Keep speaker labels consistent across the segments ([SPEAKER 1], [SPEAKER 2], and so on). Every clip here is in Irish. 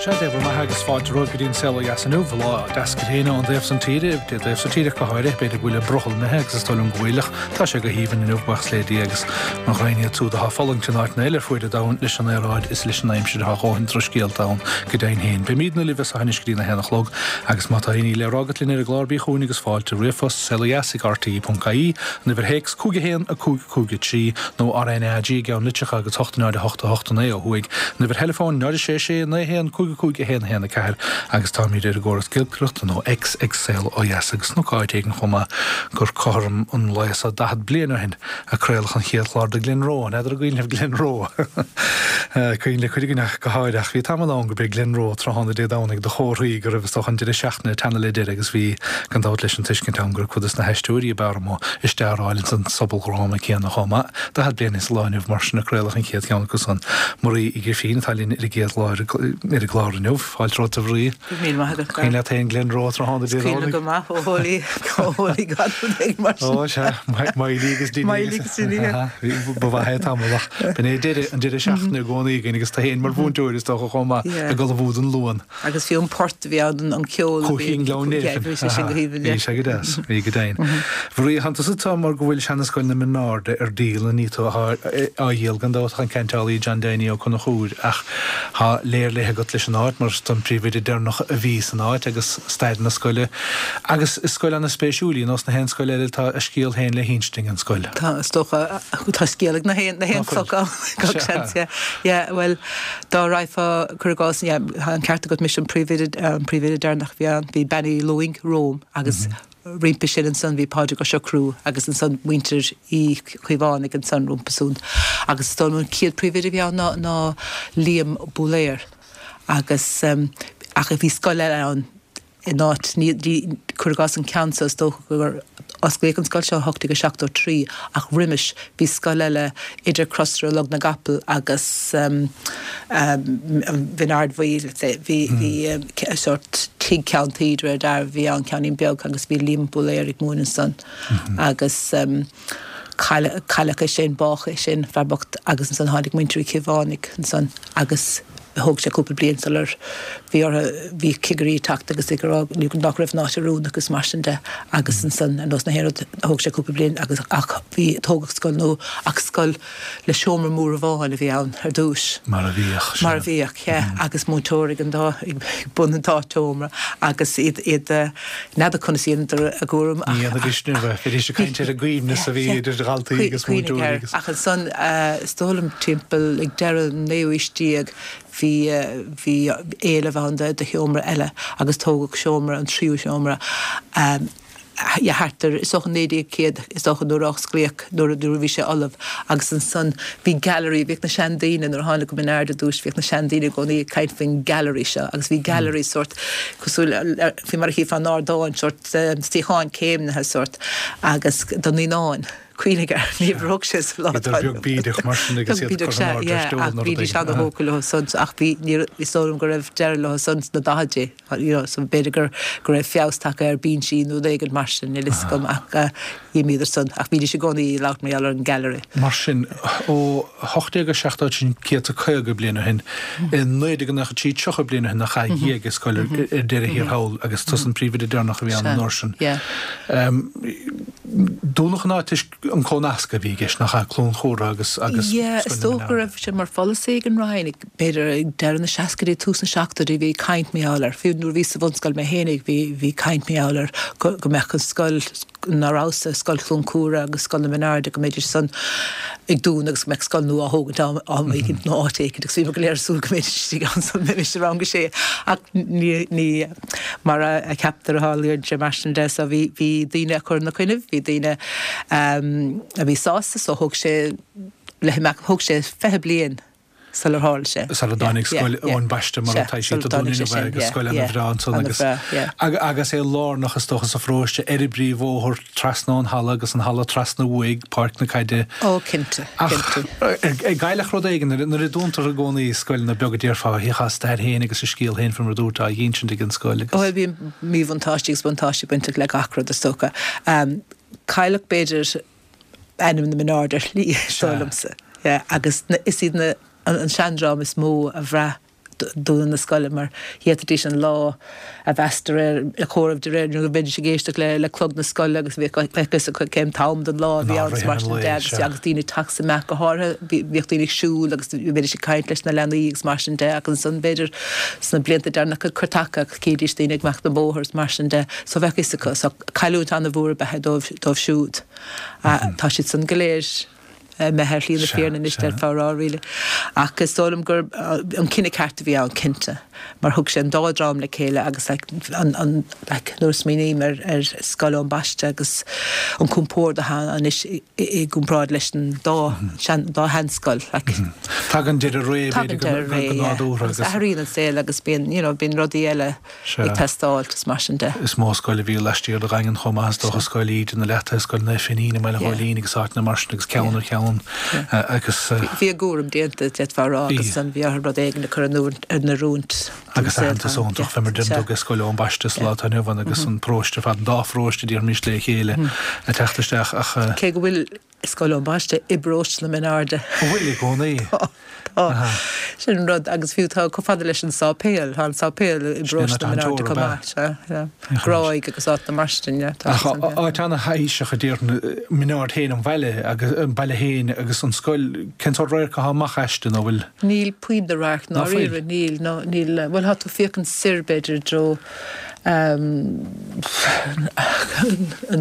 [SPEAKER 1] Sea, Dé bhur mbeatha agus fáilte romhaibh go dtí an Saol Ó Dheas inniu, lá deas gréine ón dtaobh san tíre, dé dtaobh sa tíre ach go háirithe, b'fhéidir go bhfuil an brothall imithe agus is dóigh liom go bhfuil ach tá sé go haoibhinn inniu, buíochas le Dia agus mo ghraidhin iad súd atá ag fulaingt in áiteanna eile ar fuaid an domhain leis an aeráid is leis an aimsir tá a dhóthain drochscéalta ann go deimhin féin. Beimídne libh as seo anois go dtí an 1 a chlog agus má tá aon ní le rá agat linn ar an gclár bí chugainn agus fáilte, ríomhphost, saolodheas ag rte.ie, an uimhir théacs 5 1 5 5 3, nó RnaG i gceann litreacha agus 8 0 8 8 9 ó thuaidh, an uimhir theileafóin 0 6 6 9 1 5 5 1 1 4 agus táimid ar an gcóras giolcaireachta nó X ag Saol Ó Dheas agus chonac áit éigin chomh maith gur cothrom an lae so 40 bliain ó shin a craoladh an chéad chlár de Glenroe. An fheadar an gcuimhin libh Glenroe? Cuimhin le cuid againn ach go háirithe ach bhí tamall ann gurb é Glenroe tráthnóna Dé Domhnaigh do chomharthaí go raibh is dócha an deireadh seachtaine ag teannadh le deireadh agus bhí gan dabht leis an tuiscint ann gur cuid des na haisteoirí ab fhearr amuigh ag stearáil ins an sobaldhráma céanna chomh maith. 40 bliain sa lá inniu mar sin a craoladh an chéad cheann acu san. Marie Uí Ghrifín atá linn ar an gcéad lá ar an gclár inniu. Fáilte romhat a Mharie.
[SPEAKER 2] Go raibh míle maith agat.
[SPEAKER 1] Cuimhin leat féin Glenroe tráthnóna
[SPEAKER 2] Dé Domhnaigh? Is cuimhin liom go maith, ó Hólaí, ó Hólaí gan rud éigin mar
[SPEAKER 1] sin. Ó sea, Miley agus Dinny.
[SPEAKER 2] Miley agus Dinny,
[SPEAKER 1] yeah. Ba mhaith é tamall ach b'in é deireadh, an deireadh seachtaine i gcónaí againn agus tú féin mar mhúinteoir is dócha chomh maith ag ullmhú don Luan.
[SPEAKER 2] Agus fiú an port a bhí ann, an ceol
[SPEAKER 1] a bhí. Cuaichín Ghleann Néifinn.
[SPEAKER 2] Bhí sé sin go haoibhinn.
[SPEAKER 1] Bhí sé go deas, bhí go deimhin. Mharie, tánn tusa mar go bhfuil seanascoil na Mionairde ar díol, ní tú atá á dhíol gan dabht ach an ceantálaí John Danny Ó Conchúir ach tá léir léithe agat leis an áit mar is tú an príomhoide deireanach a bhí san áit agus stair na scoile agus is scoil ana-spéisiúil í, nós na haon scoil eile tá a scéal féin le hinsint ag an scoil.
[SPEAKER 2] Tá, is dócha, tá scéal ag na haon chloch ann, gach seans, yeah. Yeah, bhuel, Dá raghfá, cuir i gcás, yeah, tá an ceart agat, mise an príomhoide, an príomhoide deireanach a bhí ann, bhí Bean Uí Lúing romham agus roimpi sin ansan bhí Pádraig Ó Siochrú agus ansan muintir Uí Chaomhánaigh ansan rompu san. Agus is dóigh liom an chéad príomhoide a bhí ann ná, ná Liam Búlaer agus, ach bhí scoil eile ann, in áit, ní, cuir i gcás an ceann seo, is dócha gur osclaíodh an scoil seo i 1873 ach roimis bhí scoil eile idir Crosaire Log na gCapall agus an Bhinn Ard Bhuí, let's say, bhí, bhí sórt tigh ceann tuí de réir dealraimh, bhí ann ceainnín beag agus bhí Liam Búlaer ag múineadh ansan agus cailleadh é sin, bádh é sin, fear bocht agus ansan tháinig muintir Uí Chaomhánaigh ansan agus thóg sé cúpla bliain sular bhí orthu, bhí cigirí ag teacht agus ag rá nach raibh an áit oiriúnach agus mar sin de agus ansan ar nós na haon rud thóg sé cúpla bliain agus ach bhí, tógadh scoil nua ach scoil le seomra mór amháin a bhí ann ar dtús.
[SPEAKER 1] Mar a bhíodh,
[SPEAKER 2] sea. Mar a bhíodh, yeah, agus múinteoir ag an dá, ag bun an dá sheomra agus iad, iad, n'fheadar conas a dheineadar a gcúram
[SPEAKER 1] ach. Ní dhéanfaidís inniu é, bheidís ag caint ar an gcoibhneas a bhí idir dhaltaí agus múinteoirí
[SPEAKER 2] agus. Ach ansan, is dóigh liom timpeall ag deireadh an naoú haois déag, bhí, bhí éileamh ann do sheomra eile agus tógadh seomra, an tríú seomra, yeah thart ar, is dócha 1900, is dócha nuair a osclaíodh, nuair a, nuair a bhí sé ullamh agus ansan bhí gallery, bhíodh na seandaoine nuair a tháinig go Min Aird ar dtús, bhíodh na seandaoine i gcónaí ag caint faoin gallery seo agus bhí gallery sórt cosúil le, faoi mar a chífeá in ardán, sórt suíocháin céimnithe sórt agus do naíonáin. Cuimhnigh air, ní bhróg sé
[SPEAKER 1] sa lá atá inniu. Bhíodar beag bídeach mar sin agus iad curtha in airde ar
[SPEAKER 2] steall nó rud éigin. Bhídís ana-thógtha leo san ach bhí, ní, is dóigh liom go raibh deireadh leo san sna daichidí, you know, so b'fhéidir gur, go raibh feabhas tagtha ar binsí nó rud éigin mar sin, níl fhios agam ach d'imíodar san ach bhídís i gcónaí ag labhairt mar gheall ar an gallery.
[SPEAKER 1] Mar sin, ó 1870, sin 150 bliain ó shin, i 1993, 30 bliain ó shin nach ea, d'éag an scoil ar deireadh thiar thall agus tusa an príomhoide deireanach a bhí ann an uair sin. Dúnadh an áit toisc an cónascadh a bhí i gceist, nach ea, Cluain Chumhra agus
[SPEAKER 2] agus Yeah, is Scoil na dócha go raibh sé mar pholasaí ag an Roinn, ag b'fhéidir ag deireadh na seascaidí, tús na seachtóidí, bhí caint mar gheall air, fiú nuair a bhíos sa bhunscoil mé fhéinig, bhí bhí caint mar gheall air go go mbeadh an scoil ná rabhas-sa, Scoil Chluain Cumhra agus Scoil na Mionairde, go mbeidís san ag dúnadh agus go mbeadh scoil nua á thógaint am am éicint nó áit éicint agus bhíomar go léir ag súil go mbeidís istigh ann sula mbeimis i rang a sé ach ní ní mar a cheaptar a tharlaíonn sé mar sin de so bhí bhí daoine ag cur ina coinnibh, bhí daoine a bhí sásta so thóg sé le himeacht thóg sé 20 bliain sular tharla sé.
[SPEAKER 1] Sula dtáinig Scoil Eoin Baiste mar atá sí sa dún inniu agus scoil ana bhreá ansan agus agus é lárnach is dócha sa pharóiste ar an bpríomhbhóthar trasna ón halla agus an halla trasna uaidh, páirc na caide.
[SPEAKER 2] Ó cinnte, cinnte.
[SPEAKER 1] Ach ar cailleadh rud éigin nuair a dúntar i gcónaí scoileanna beaga déarfá bhíodh a stair féin agus a scéal féin faoi mar a dúirt á dh'insint ag an scoil agus.
[SPEAKER 2] Bhuel bíonn míbhuntáistí agus buntáistí bainteach le gach rud is dócha. Cailleadh b'fhéidir ainm na Mionairde ar shlí, is dóigh liomsa. Yeah, agus is iad na, an seandream is mó a bhraith. dúnadh na scoile mar d'fhéadfaidís an lá a mheas de réir, a chomhaireamh de réir, nó bheidís ag éisteacht le le clog na scoile agus bheadh a fhios acu cén t-am den lá a bhí ann agus mar sin de agus agus daoine ag teacht is ag imeacht go háirithe bhíodh daoine ag siúl agus bheidís ag caint leis na leanaí agus mar sin de ach ansan b'fhéidir sna blianta deireanacha cuir taca ach chídís daoine ag imeacht an bóthar is mar sin de so bheadh a fhios acu so cailliúint an-mhór ab ea é dóibh dóibh siúd. Tá siad san go léir imithe ar shlí na fírinne anois d'fhéadfá a rá really. Ach is dóigh liom gur an cinneadh ceart a bhí ann, cinnte, mar thug sé an dá dream le chéile agus like an, an, like nuair a smaoiním ar, ar Scoil Eoin Baiste agus an compord atá ann anois i, i gcomparáid leis an dá sean, dá sheanscoil like.
[SPEAKER 1] Tagann deireadh ré
[SPEAKER 2] b'fhéidir go, go nádúrtha agus. Athraíonn an saol agus bíonn, you know, bíonn rudaí eile. ag teastáil is mar sin de.
[SPEAKER 1] Is mó scoil a bhí laistiar de Dhaingean chomh maith, is dócha, Scoil Íde, na Leataithe, Scoil Naomh Finín i mBaile Ghóilín agus áiteanna mar sin agus ceann ar cheann agus.
[SPEAKER 2] Bhí a gcúram déanta, d'fhéadfá a rá, agus ansan bhí orthu rud éigin a chur in oiriúint
[SPEAKER 1] don Agus aitheantas iontach, fé mar a deireann tú, ag Scoil Eoin Baiste sa lá atá inniu ann agus an paróiste ar fad, an dá pharóiste, déarfaimis, le chéile ag teacht isteach ach.
[SPEAKER 2] Cé go bhfuil Scoil Eoin Baiste i bparóiste na Mine Airde.
[SPEAKER 1] An bhfuil i gcónaí?
[SPEAKER 2] Tá, tá. Sin an rud. Agus fiú tá chomh fada leis an sáipéal, tá an sáipéal i bparóiste na Mine Airde chomh maith. Sea, sea. Gráig agus áiteanna mar sin, yeah.
[SPEAKER 1] Tá Ach san, yeah. áit ana-thaibhseach a déarfainn, Min Aird féin, an bhaile agus an baile féin agus an scoil, cén sórt radharc atá amach aisti nó bhfuil?
[SPEAKER 2] Níl puinn de radharc i ndáiríre, níl, no, níl, bhuel tá tú ag féachaint soir b'fhéidir i dtreo, an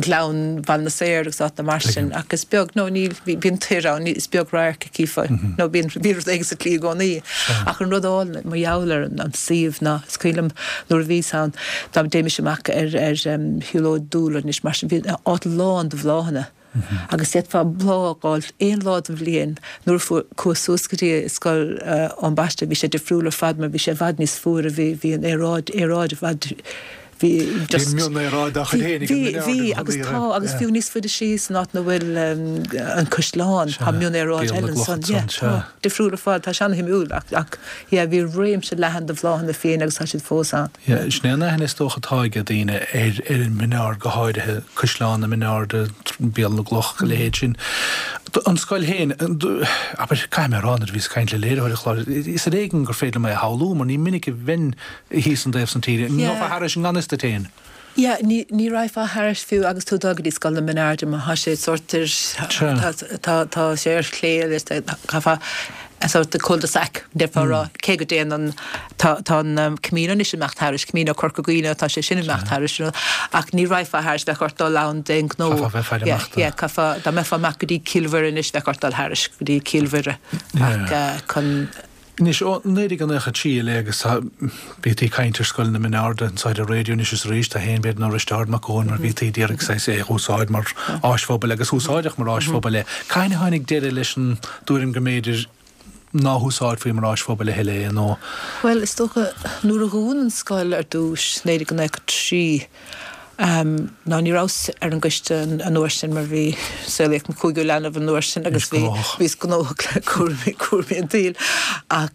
[SPEAKER 2] Gleann, Baile na Saor agus áiteanna mar sin ach is beag, nó níl, bíonn toir ann, is beag radharc a chífeá, nó bíonn, bíonn rud éigin sa tslí i gcónaí. Ach an rud álainn mar gheall ar an suíomh ná, is cuimhin liom nuair a bhíos ann, dá dtéimis amach ar, ar shiúlóid dúlra anois mar sin, bhí an áit lán de bhláthanna. Agus d'fhéadfá bláth a fháil aon lá den bhliain. Nuair a fuair, chuas suas go dtí Scoil Eoin Baiste bhí sé difriúil ar fad mar bhí sé i bhfad níos fuaire, bhí, bhí an aeráid, aeráid i bhfad, bhí
[SPEAKER 1] just. Bhí mionaeráid dá chuid féin ag an
[SPEAKER 2] Bhí, bhí, agus tá, agus fiú níos faide síos san áit ina bhfuil an caisleán, tá mionaeráid eile ansan, yeah, tá, difriúil ar fad, tá sé ana-shuimiúil ach, ach yeah, bhí réimse leathan de bhláthanna fiáin agus tá siad fós ann.
[SPEAKER 1] Yeah, sin é an aithne is dócha atá ag daoine ar ar an Min Ard go háirithe, Caisleán na Mine Airde, Béal na gCloch, a leithéid sin. An scoil féin, abair, caithfidh mé a rá nuair a bhíos ag caint le léiritheoir an chláir, is ar éigean gur féidir liom é a shamhlú mar ní minic a bheinn thíos an taobh san tíre. An ngabhfá thairis i ngan fhios duit féin?
[SPEAKER 2] Yeah, ní, ní raghfá thairis fiú agus tú ag dul go dtí Scoil na Mine Airde mar tá sé sórt ar, tá, tá, tá sé ar chlé agus caithfeá sórt cul-de-sac, déarfá a rá, cé go dtéann an, tá, tá an Camino anois ag imeacht thairis, Camino Corca Dhuibhne, tá sé sin ag imeacht thairis, you know, ach ní raghfá thairis, bheadh ort dul ann d'aon ghnó.
[SPEAKER 1] Chaithfeá bheith ag faire
[SPEAKER 2] amach do. Yeah, caithfeá, dá mbeifeá amach go dtí Cill Mhuire anois, bheadh ort dul thairis go dtí Cill Mhuire ach chun.
[SPEAKER 1] Anois, ó 1993 i leith agus tá, bhítí ag caint ar Scoil na Mine Airde anso ar an raidió anois is arís, tá féin b'fhéidir ná Risteárd Mac Eoin mar bhítí d'iarraidh saghas é a úsáid mar áis phobail agus úsáideadh mar áis phobail é. Cathain a tháinig deireadh leis an dtuairim go mb'fhéidir ná húsáidfí mar áis phobail a thuilleadh é nó.
[SPEAKER 2] Bhuel, is dócha nuair a dhún an scoil ar dtús, 1993, Ná ní rabhas ar an gcoiste an uair sin mar bhí, saolaíodh an cúigiú leanbh an uair sin agus bhí, bhíos gnóthach le cúraimí, cúraimí an tsaoil. Ach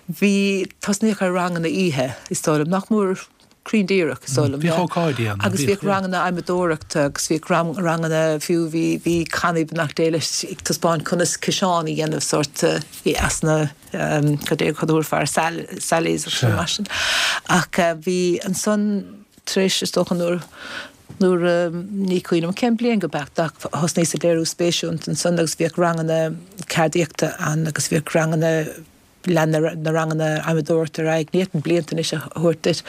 [SPEAKER 2] bhí, tosnaíodh ar ranganna oíche, is dóigh liom, nach mór cruinn díreach, is dóigh liom.
[SPEAKER 1] Bhíodh ócáidí ann.
[SPEAKER 2] Agus bhíodh ranganna adhmadóireachta agus bhíodh ranganna, fiú bhí, bhí cannaí beannacht Dé leis ag taispeáint conas ciseán a dhéanamh sórt as na, cad é cad a thabharfá air, sallies agus mar sin. Ach bhí ansan tar éis, is dócha nuair, nuair, ní cuimhin liom cén bliain go beacht ach thosnaíos ag léiriú spéise iontu ansan agus bhíodh ranganna ceardaíochta ann agus bhíodh ranganna, lean na ranganna adhmadóireachta ar aghaidh, ní fhéadfainn blianta anois a thabhairt duit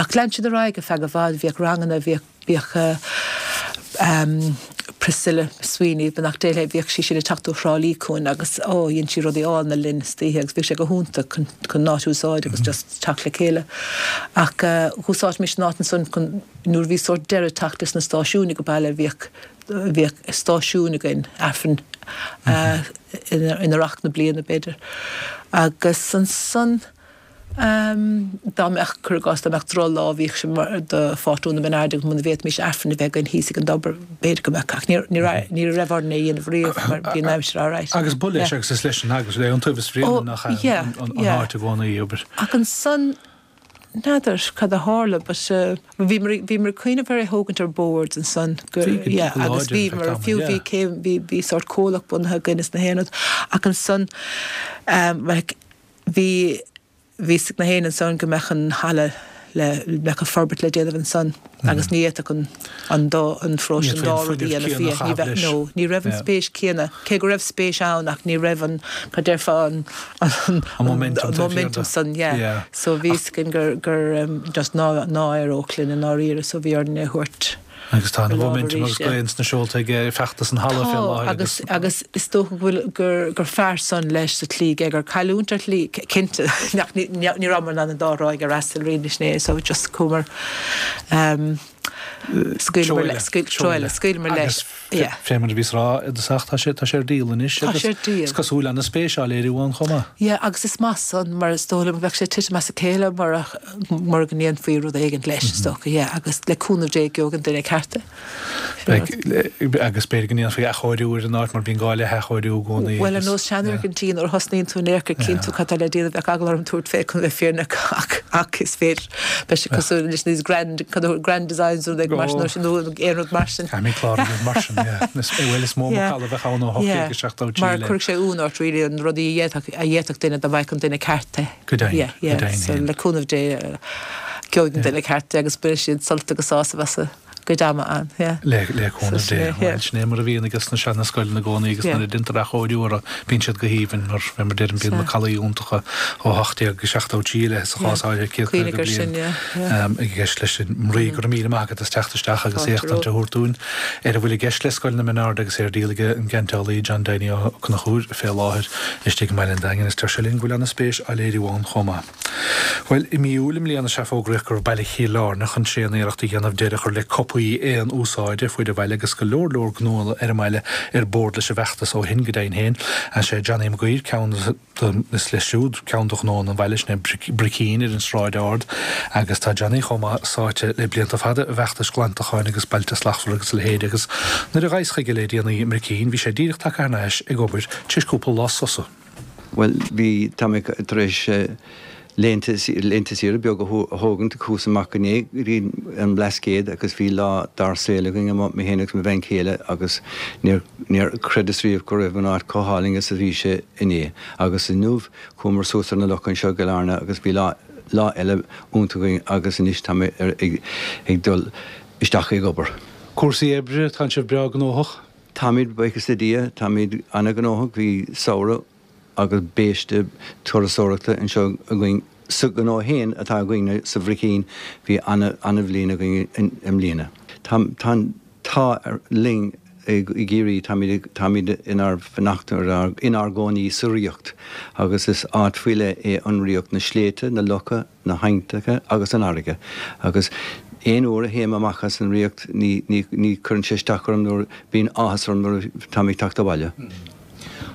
[SPEAKER 2] ach lean siad ar aghaidh ar feadh i bhfad, bhíodh ranganna, bhíodh. Bhíodh Priscilla Sweeney, beannacht Dé léi, bhíodh sí sin ag teacht ó Thrá Lí chugainn agus ó, dhein sí rudaí álainne linn istoíche agus bhíodh sé go hiontach chun chun an áit a úsáid agus just teacht le chéile. Ach dh'úsáidimis an áit ansan chun, nuair a bhí sórt deireadh ag teacht leis na stáisiúin ag an baile, bhíodh bhíodh stáisiún againn, Aifreann in Earrach na bliana b'fhéidir. Agus ansan. Dá mbeadh, cuir i gcás, dá mbeadh drochlá, bhíodh sé mar do phátrún na Mine Airde agus muna bhféadfaimis Aifreann a bheith againn thíos ag an dtobar, b'fhéidir go mbeadh, ach ní, ní raibh, ní raibh orainn é a dhéanamh riamh mar bhí an aimsir alright.
[SPEAKER 1] Agus ba leis agus is leis an eaglais, le Iontaobhas Bhréanainn nach ea an áit i gcónaí, abair.
[SPEAKER 2] Ach ansan, n'fheadar cad a tharla but bhíomar, bhíomar ag cuimhneamh ar é thógaint ar bord ansan go, yeah, agus bhíomar, fiú bhí céim, bhí, bhí sórt comhlacht bunaithe againn is na haon rud ach ansan, like, Bhí. bhí fhios ag na héinne ansan go mbeadh an halla le, mbeadh an forbairt le déanamh ansan agus ní fhéadfadh an, an dá, an pharóiste an dá rud a dhéanamh. Ní bheadh, no, ní raibh an spéis céanna, cé go raibh spéis ann ach ní raibh an, cad déarfá, an, an,
[SPEAKER 1] an momentum,
[SPEAKER 2] an momentum san, yeah. So bhí fhios againn gur, gur just ná, ná éireodh linn i ndáiríre so bhí orainn é a thabhairt.
[SPEAKER 1] Agus tá an mhóiminteam agus gaoth ins na seolta ag feachtas an halla fé láthair
[SPEAKER 2] agus. Tá, agus is dócha go bhfuil, gur, gur fearr san leis sa tslí gé gur cailliúint ar shlí, cinnte, ach ní, ní rabhamar in ann an dá thráigh a fhreastal really sin é, so just chuamar, ehm, scaoileamar le, scaoil, treo eile, scaoileamar leis, yeah.
[SPEAKER 1] Agus fé mar a bhíos a rá i dtosach, tá sé, tá sé ar díol anois
[SPEAKER 2] Tá sé ar díol.
[SPEAKER 1] Is cosúil ana-spéis á léiriú ann chomh maith.
[SPEAKER 2] Yeah, agus is maith san mar is dóigh liom go bheadh sé ag titim as a chéile murach, mura go ndéanfaí rud éigint leis, is dócha, yeah, agus le cúnamh Dé gheobhaidh an duine ceart é.
[SPEAKER 1] Beidh, agus b'fhéidir go ndéanfaí athchóiriú ar an áit mar bíonn gá le hathchóiriú i gcónaí.
[SPEAKER 2] Bhuel, ar nós seanfhoirgintí, nuair a thosnaíonn tú in aon chor cíonn tú cad tá le déanamh, bheadh eagla orm tabhairt fé chun bheith fírinneach ach, ach is féidir, beidh sé cosúil leis these grand, grand designs nó rud mar sin, nó aon rud mar sin.
[SPEAKER 1] Caithfimid clár a dhéanamh mar sin, yeah. Bhuel, is mó macalla a bheadh ann ó 1873
[SPEAKER 2] Mar chuirfeadh sé ionadh ort really an rudaí a d'fhéadfadh, a d'fhéadfadh duine dá mbeadh an duine ceart é.
[SPEAKER 1] Go deimhin,
[SPEAKER 2] Yeah, yeah,
[SPEAKER 1] go deimhin
[SPEAKER 2] so
[SPEAKER 1] féin.
[SPEAKER 2] le cúnamh Dé gheobhaidh an duine ceart é agus beidh siad sult agus sásamh as a gcuid ama ann, yeah.
[SPEAKER 1] Le, le cúnamh
[SPEAKER 2] So sin
[SPEAKER 1] Dé.
[SPEAKER 2] é, yeah.
[SPEAKER 1] Bhuel, sin é mar a bhíonn ages na seana-scoileanna i gcónaí agus
[SPEAKER 2] Yeah.
[SPEAKER 1] nuair a deintear athchóiriú orthu, bíonn siad go haoibhinn mar, fé mar deirim, bíonn
[SPEAKER 2] Sea.
[SPEAKER 1] macallaí iontacha ó 1873 i leith sa
[SPEAKER 2] Yeah.
[SPEAKER 1] chás áirithe, 150
[SPEAKER 2] Cuimhnigh air
[SPEAKER 1] bliain
[SPEAKER 2] sin, yeah, yeah.
[SPEAKER 1] i gceist leis sin. Marie, go raibh míle maith agat as teacht isteach agus
[SPEAKER 2] Fáilte
[SPEAKER 1] éachtaint a
[SPEAKER 2] romhat.
[SPEAKER 1] thabhairt dúinn ar a bhfuil i gceist le Scoil na Menard agus é ar díol ag an gceantálaí John Donie Ó Conchúir fé láthair. Istigh i mbaile an Daingin, is deir sé linn go bhfuil ana-spéis á léiriú ann chomh maith. Bhuel, i mí Iúil i mbliana is ea fógraíodh go raibh baile Chill Airne chun tréan-iarracht a dhéanamh deireadh a chur le cupaí aon úsáide ar fuaid an bhaile agus go leor leor gnóanna ar an mbaile ar bord leis an bhfeachtas ó shin go deimhin féin. Is é Johnny Mac Uidhir ceann de, is leis siúd ceann de ghnóanna an bhaile, sin é Bricín ar an Sráid Ard agus tá Johnny chomh maith sáite le blianta fada i bhfeachtais glantacháin agus Bailte Slachtmhara agus a leithéid agus nuair a ghabhas chuige le déanaí i mBricín bhí sé díreach tagtha thar n-ais ag obair tar éis cúpla lá sosa.
[SPEAKER 3] Bhuel, bhí, tá mé tar éis laethanta, laethanta saoire beag a thógaint, chuas amach inné go dtí an mBlascaod agus bhí lá dár saol againn amuigh, mé féin agus mo bhean chéile agus níor, níor chreideas riamh go raibh an áit chomh hálainn is a bhí sé inné. Agus inniu chuamar suas ar na locha anseo i gCill Airne agus bhí lá, lá eile iontach againn agus anois tá mé ar, ag, ag dul isteach ag obair.
[SPEAKER 1] Cúrsaí oibre, tá sibh breá gnóthach?
[SPEAKER 3] Táimid, buíochas le Dia, táimid an-ghnóthach. Bhí samhradh agus biaiste turasóireachta anseo againn sa ghnó féin atá againne sa Bhricín. Bhí an-bhliain againn i mbliana. Tá tá an t-ádh linn i gCiarraí, táimid táimid inár bhfanacht inár gcónaí sa Ríocht agus is áit faoi leith é an Ríocht, na sléibhte, na locha, na haibhneacha agus an fharraige agus aon uair a théim amach as an Ríocht ní, ní, ní chuireann sé isteach orm nuair, bíonn áthas orm nuair a táim ag teacht abhaile.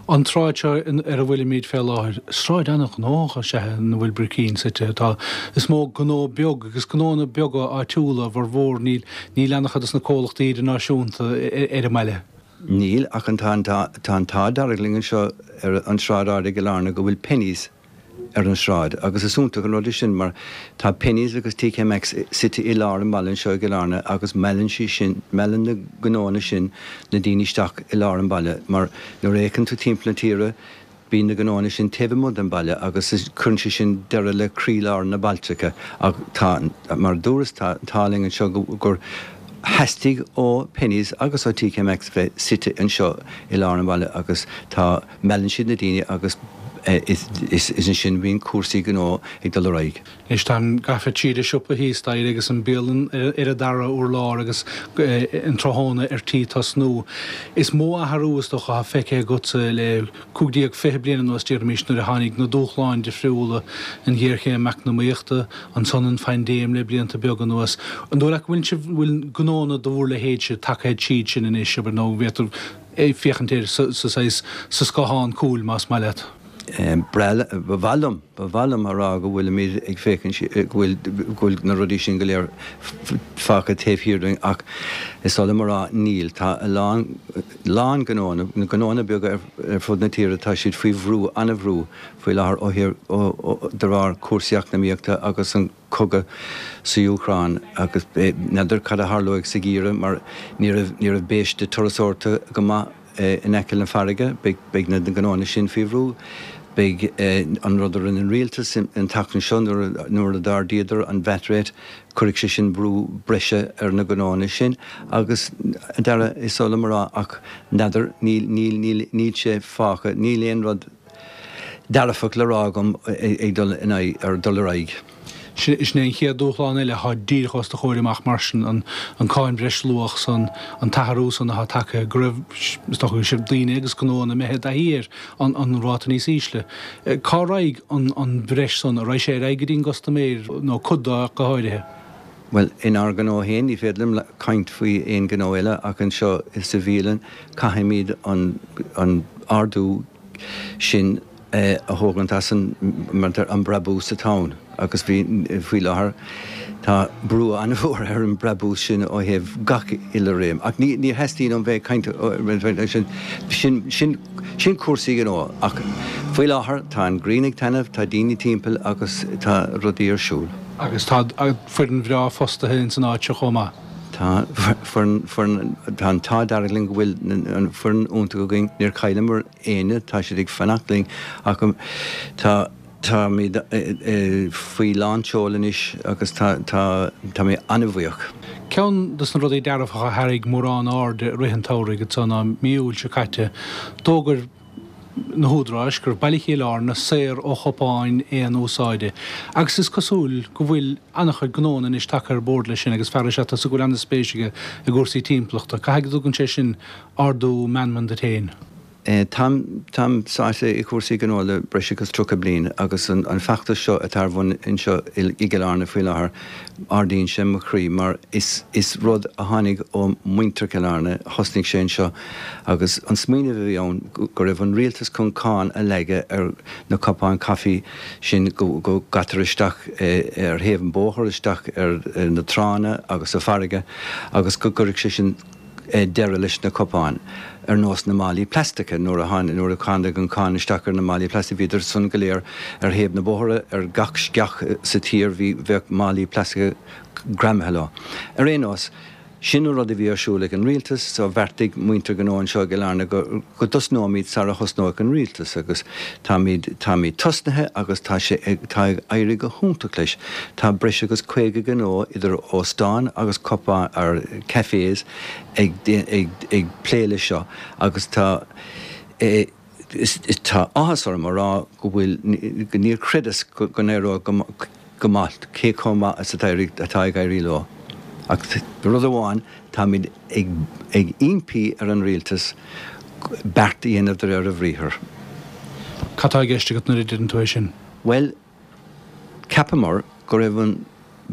[SPEAKER 1] An tsráid seo ar a bhfuilimid fé láthair, sráid an-ghnóthach is ea í ina bhfuil Bricín suite. Tá, is mó gnó beag agus gnóanna beaga áitiúla a bhformhór, níl, níl an-chuid dos na comhlachtaí idirnáisiúnta ar an mbaile.
[SPEAKER 3] Níl, ach an, tá an, tá an t-ádh dearg linn anseo ar an Sráid Ard i gCill Airne go bhfuil Penneys ar an sráid agus is iontach an rud é sin mar tá Penneys agus TK Maxx suite i lár an bhaile anseo i gCill Airne agus meallann sí sin, meallann na gnóanna sin na daoine isteach i lár an bhaile mar nuair a fhéachann tú timpeall na tíre bíonn na gnóanna sin taobh amuigh den bhaile agus cuireann sé sin deireadh le croílár na bailteacha ach tá, mar a dúras, tá an t-ádh linn anseo gur theastaigh ó Penneys agus ó TK Maxx bheith suite anseo i lár an bhaile agus tá Meallann siad na daoine agus is ansin a bhíonn cúrsaí gnó ag dul ar aghaidh.
[SPEAKER 1] Anois tá an gcaife an siopa thíos staighre agus an bialann ar an dara urlár agus an tráthnóna ar tí tosnú. Is mó athrú is dócha atá feicthe agatsa le 15, 20 bliain anuas déarfaimis nuair a tháinig na dúshláin difriúla, an ghéarchéim eacnamaíochta, ansan an phaindéim le blianta beaga anuas. An dóigh leat go bhfuil sibh, bhfuil gnónna de bhur leithéidse tagtha tríd sin anois, abair, nó an bhféadfar féachaint air sa saghas, sa scáthán cúil, más maith leat.
[SPEAKER 3] Ba mhaith liom, ba mhaith liom a rá go bhfuilimid ag féachaint, go bhfuil, go bhfuil na rudaí sin go léir fágtha taobh thiar dúinn ach is oth liom a rá, níl. Tá a lán, lán gnóanna, na gnóanna beaga ar fud na tíre, tá siad faoi bhrú, an-bhrú faoi láthair ó thaobh, ó, de bharr cúrsaí eacnamaíochta agus an, cogadh sa Úcráin agus n'fheadar cad a tharlóidh sa gheimhreadh mar ní raibh ní raibh biaiste turasóireachta go maith in aice na farraige, beidh na gnóanna sin faoi bhrú. Beidh an rud a rinne an rialtas an tseachtain seo nuair a d'ardaíodar an VAT rate, cuirfidh sé sin brú breise ar na gnóanna sin agus, a Dhara, is oth liom a rá ach n'fheadar, níl, níl, níl, níl sé fágtha, níl aon rud dearfach le rá agam ag dul in aghaidh, ar dul ar aghaidh.
[SPEAKER 1] Sin é an chéad dúshlán eile atá díreach os do chomhair amach mar sin, an cáin bhreisluach san, an t-athrú san atá tagtha, go raibh, is dócha, go raibh daoine agus gnóanna imithe i dtaithí ar an ráta níos ísle. Cá raghaidh an bhreis san? An raghaidh sé ar aghaidh go dtí an gcustaiméir nó cuid de ach go háirithe?
[SPEAKER 3] Bhuel, inár ngnó féin, ní féidir liom caint faoi aon ghnó eile ach anseo sa bhialann caithfimid an ardú sin a thógaint as an, mar a deir, an brabús atá ann agus bhí, faoi láthair, tá brú an-mhór ar an brabús sin ó thaobh gach uile réim. Ach ní, ní theastaíonn uaim bheith ag caint sin, sin, sin, sin cúrsaí gnó. Ach faoi láthair tá an ghrian ag taitneamh, tá daoine timpeall agus tá rudaí ar siúl.
[SPEAKER 1] Agus tá foireann bhreá fostaithe ins an áit seo chomh maith.
[SPEAKER 3] Tá foireann, foireann, tá an t-ádh dearg linn go bhfuil an foireann iontach againn, níor chailleamar éinne, tá siad ag fanacht linn ach tá, táimid faoi lán tseoil anois agus tá, tá, tá mé an-bhuíoch.
[SPEAKER 1] Ceann de na rudaí dearfacha a tharraing mórán airde i rith an tsamhraidh anso ná mí Iúil seo caite, d'fhógair na húdaráis go raibh Baile Chill Airne saor ó chupáin aon úsáide agus is cosúil go bhfuil an-chuid gnóanna anois tagtha ar bord leis sin agus fear is ea tusa go bhfuil an-spéis aige i gcúrsaí timpeallachta. Caithfidh go dtugann sé sin ardú meanman duit féin?
[SPEAKER 3] Táim, táim sáite i gcúrsaí gnó le breis agus 30 bliain agus an feachtas seo atá ar bun anseo i gCill Airne faoi láthair, ardaíonn sé mo chroí mar is, is rud a tháinig ó mhuintir Chill Airne, thosnaigh sé anseo Agus an smaoineamh a bhí ann go raibh an rialtas chun cáin a leagadh ar na cupáin caife sin go gcaitear isteach ar thaobh an bhóthair, isteach ar na tránna agus sa bhfarraige agus go gcuirfeadh sé sin deireadh leis na cupáin, ar nós na málaí plaisteacha. Nuair a nuair a tháinig an cáin isteach ar na málaí plaisteacha bhíodar san go léir ar thaobh na bóithre, ar gach sceach sa tír bhí bheadh málaí plaisteacha greamaithe leo. Ar aon nós. Sin an rud a bhí ar siúl ag an rialtas, so bheartaigh muintir gnó anseo i gCill Airne go, go dtosnóimid sara thosnóidh an rialtas agus táimid, táimid tosnaithe agus tá sé ag, tá ag éirí go hiontach leis. Tá breis agus 50 gnó idir óstáin agus cupán, or cafés ag, ag, ag plé leis seo agus tá eh, Tá áthas orm a rá go bhfuil, níor chreideas go n-éireodh go maith, cé chomh maith is atá ag éirí leo. Ach rud amháin, táimid ag impí ar an rialtas beart a dhéanamh de réir a bhriathair.
[SPEAKER 1] Cad tá i gceist agat nuair a deireann tú é sin?
[SPEAKER 3] Bhuel, cheapamar go raibh an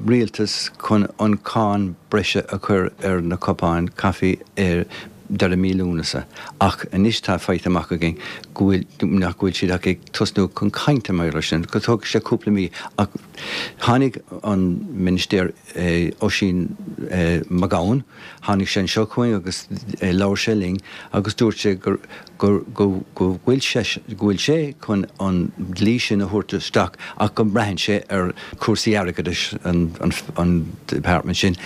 [SPEAKER 3] rialtas chun an cáin breise a chur ar na cupáin caife ar deireadh mí Lúnasa ach anois tá faighte amach againn go bhfuil, nach bhfuil siad ach ag tosnú chun cainte mar gheall air sin, go dtógfaidh sé cúpla mí ach tháinig an Ministéir Oisín McGowan, tháinig sé anseo chugainn agus labhair sé linn agus dúirt sé gur go bhfuil sé go bhfuil sé chun an dlí sin a thabhairt isteach ach go mbraitheann sé ar chúrsaí airgeadais an department sin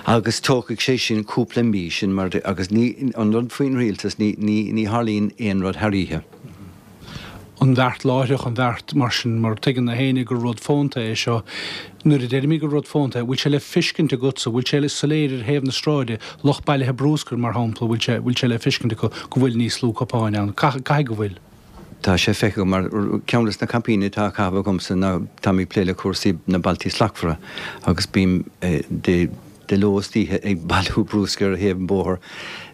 [SPEAKER 3] agus tógfaidh sé sin cúpla mí sin mar agus ní an rud faoin rialtas ní ní ní tharlaíonn aon rud thar oíche.
[SPEAKER 1] an bheart láithreach, an bheart mar sin, mar tuigeann gach éinne gur rud fónta é seo. Nuair a deirimid gur rud fónta é, bhfuil sé le fiscint agatsa, bhfuil sé soiléir ar thaobh na sráide, lucht bailithe brúscair, mar shampla, bhfuil sé, bhfuil sé le fiscint acu go bhfuil níos lú cupáin ann? Caithfidh go bhfuil.
[SPEAKER 3] Tá sé feicthe agam mar ceann de na caipíní atá á chaitheamh agamsa ná táim ag plé le cúrsaí na Bailtí Slachtmhara agus bím de de ló is d'oíche ag bailiú brúscair ar thaobh an bhóthair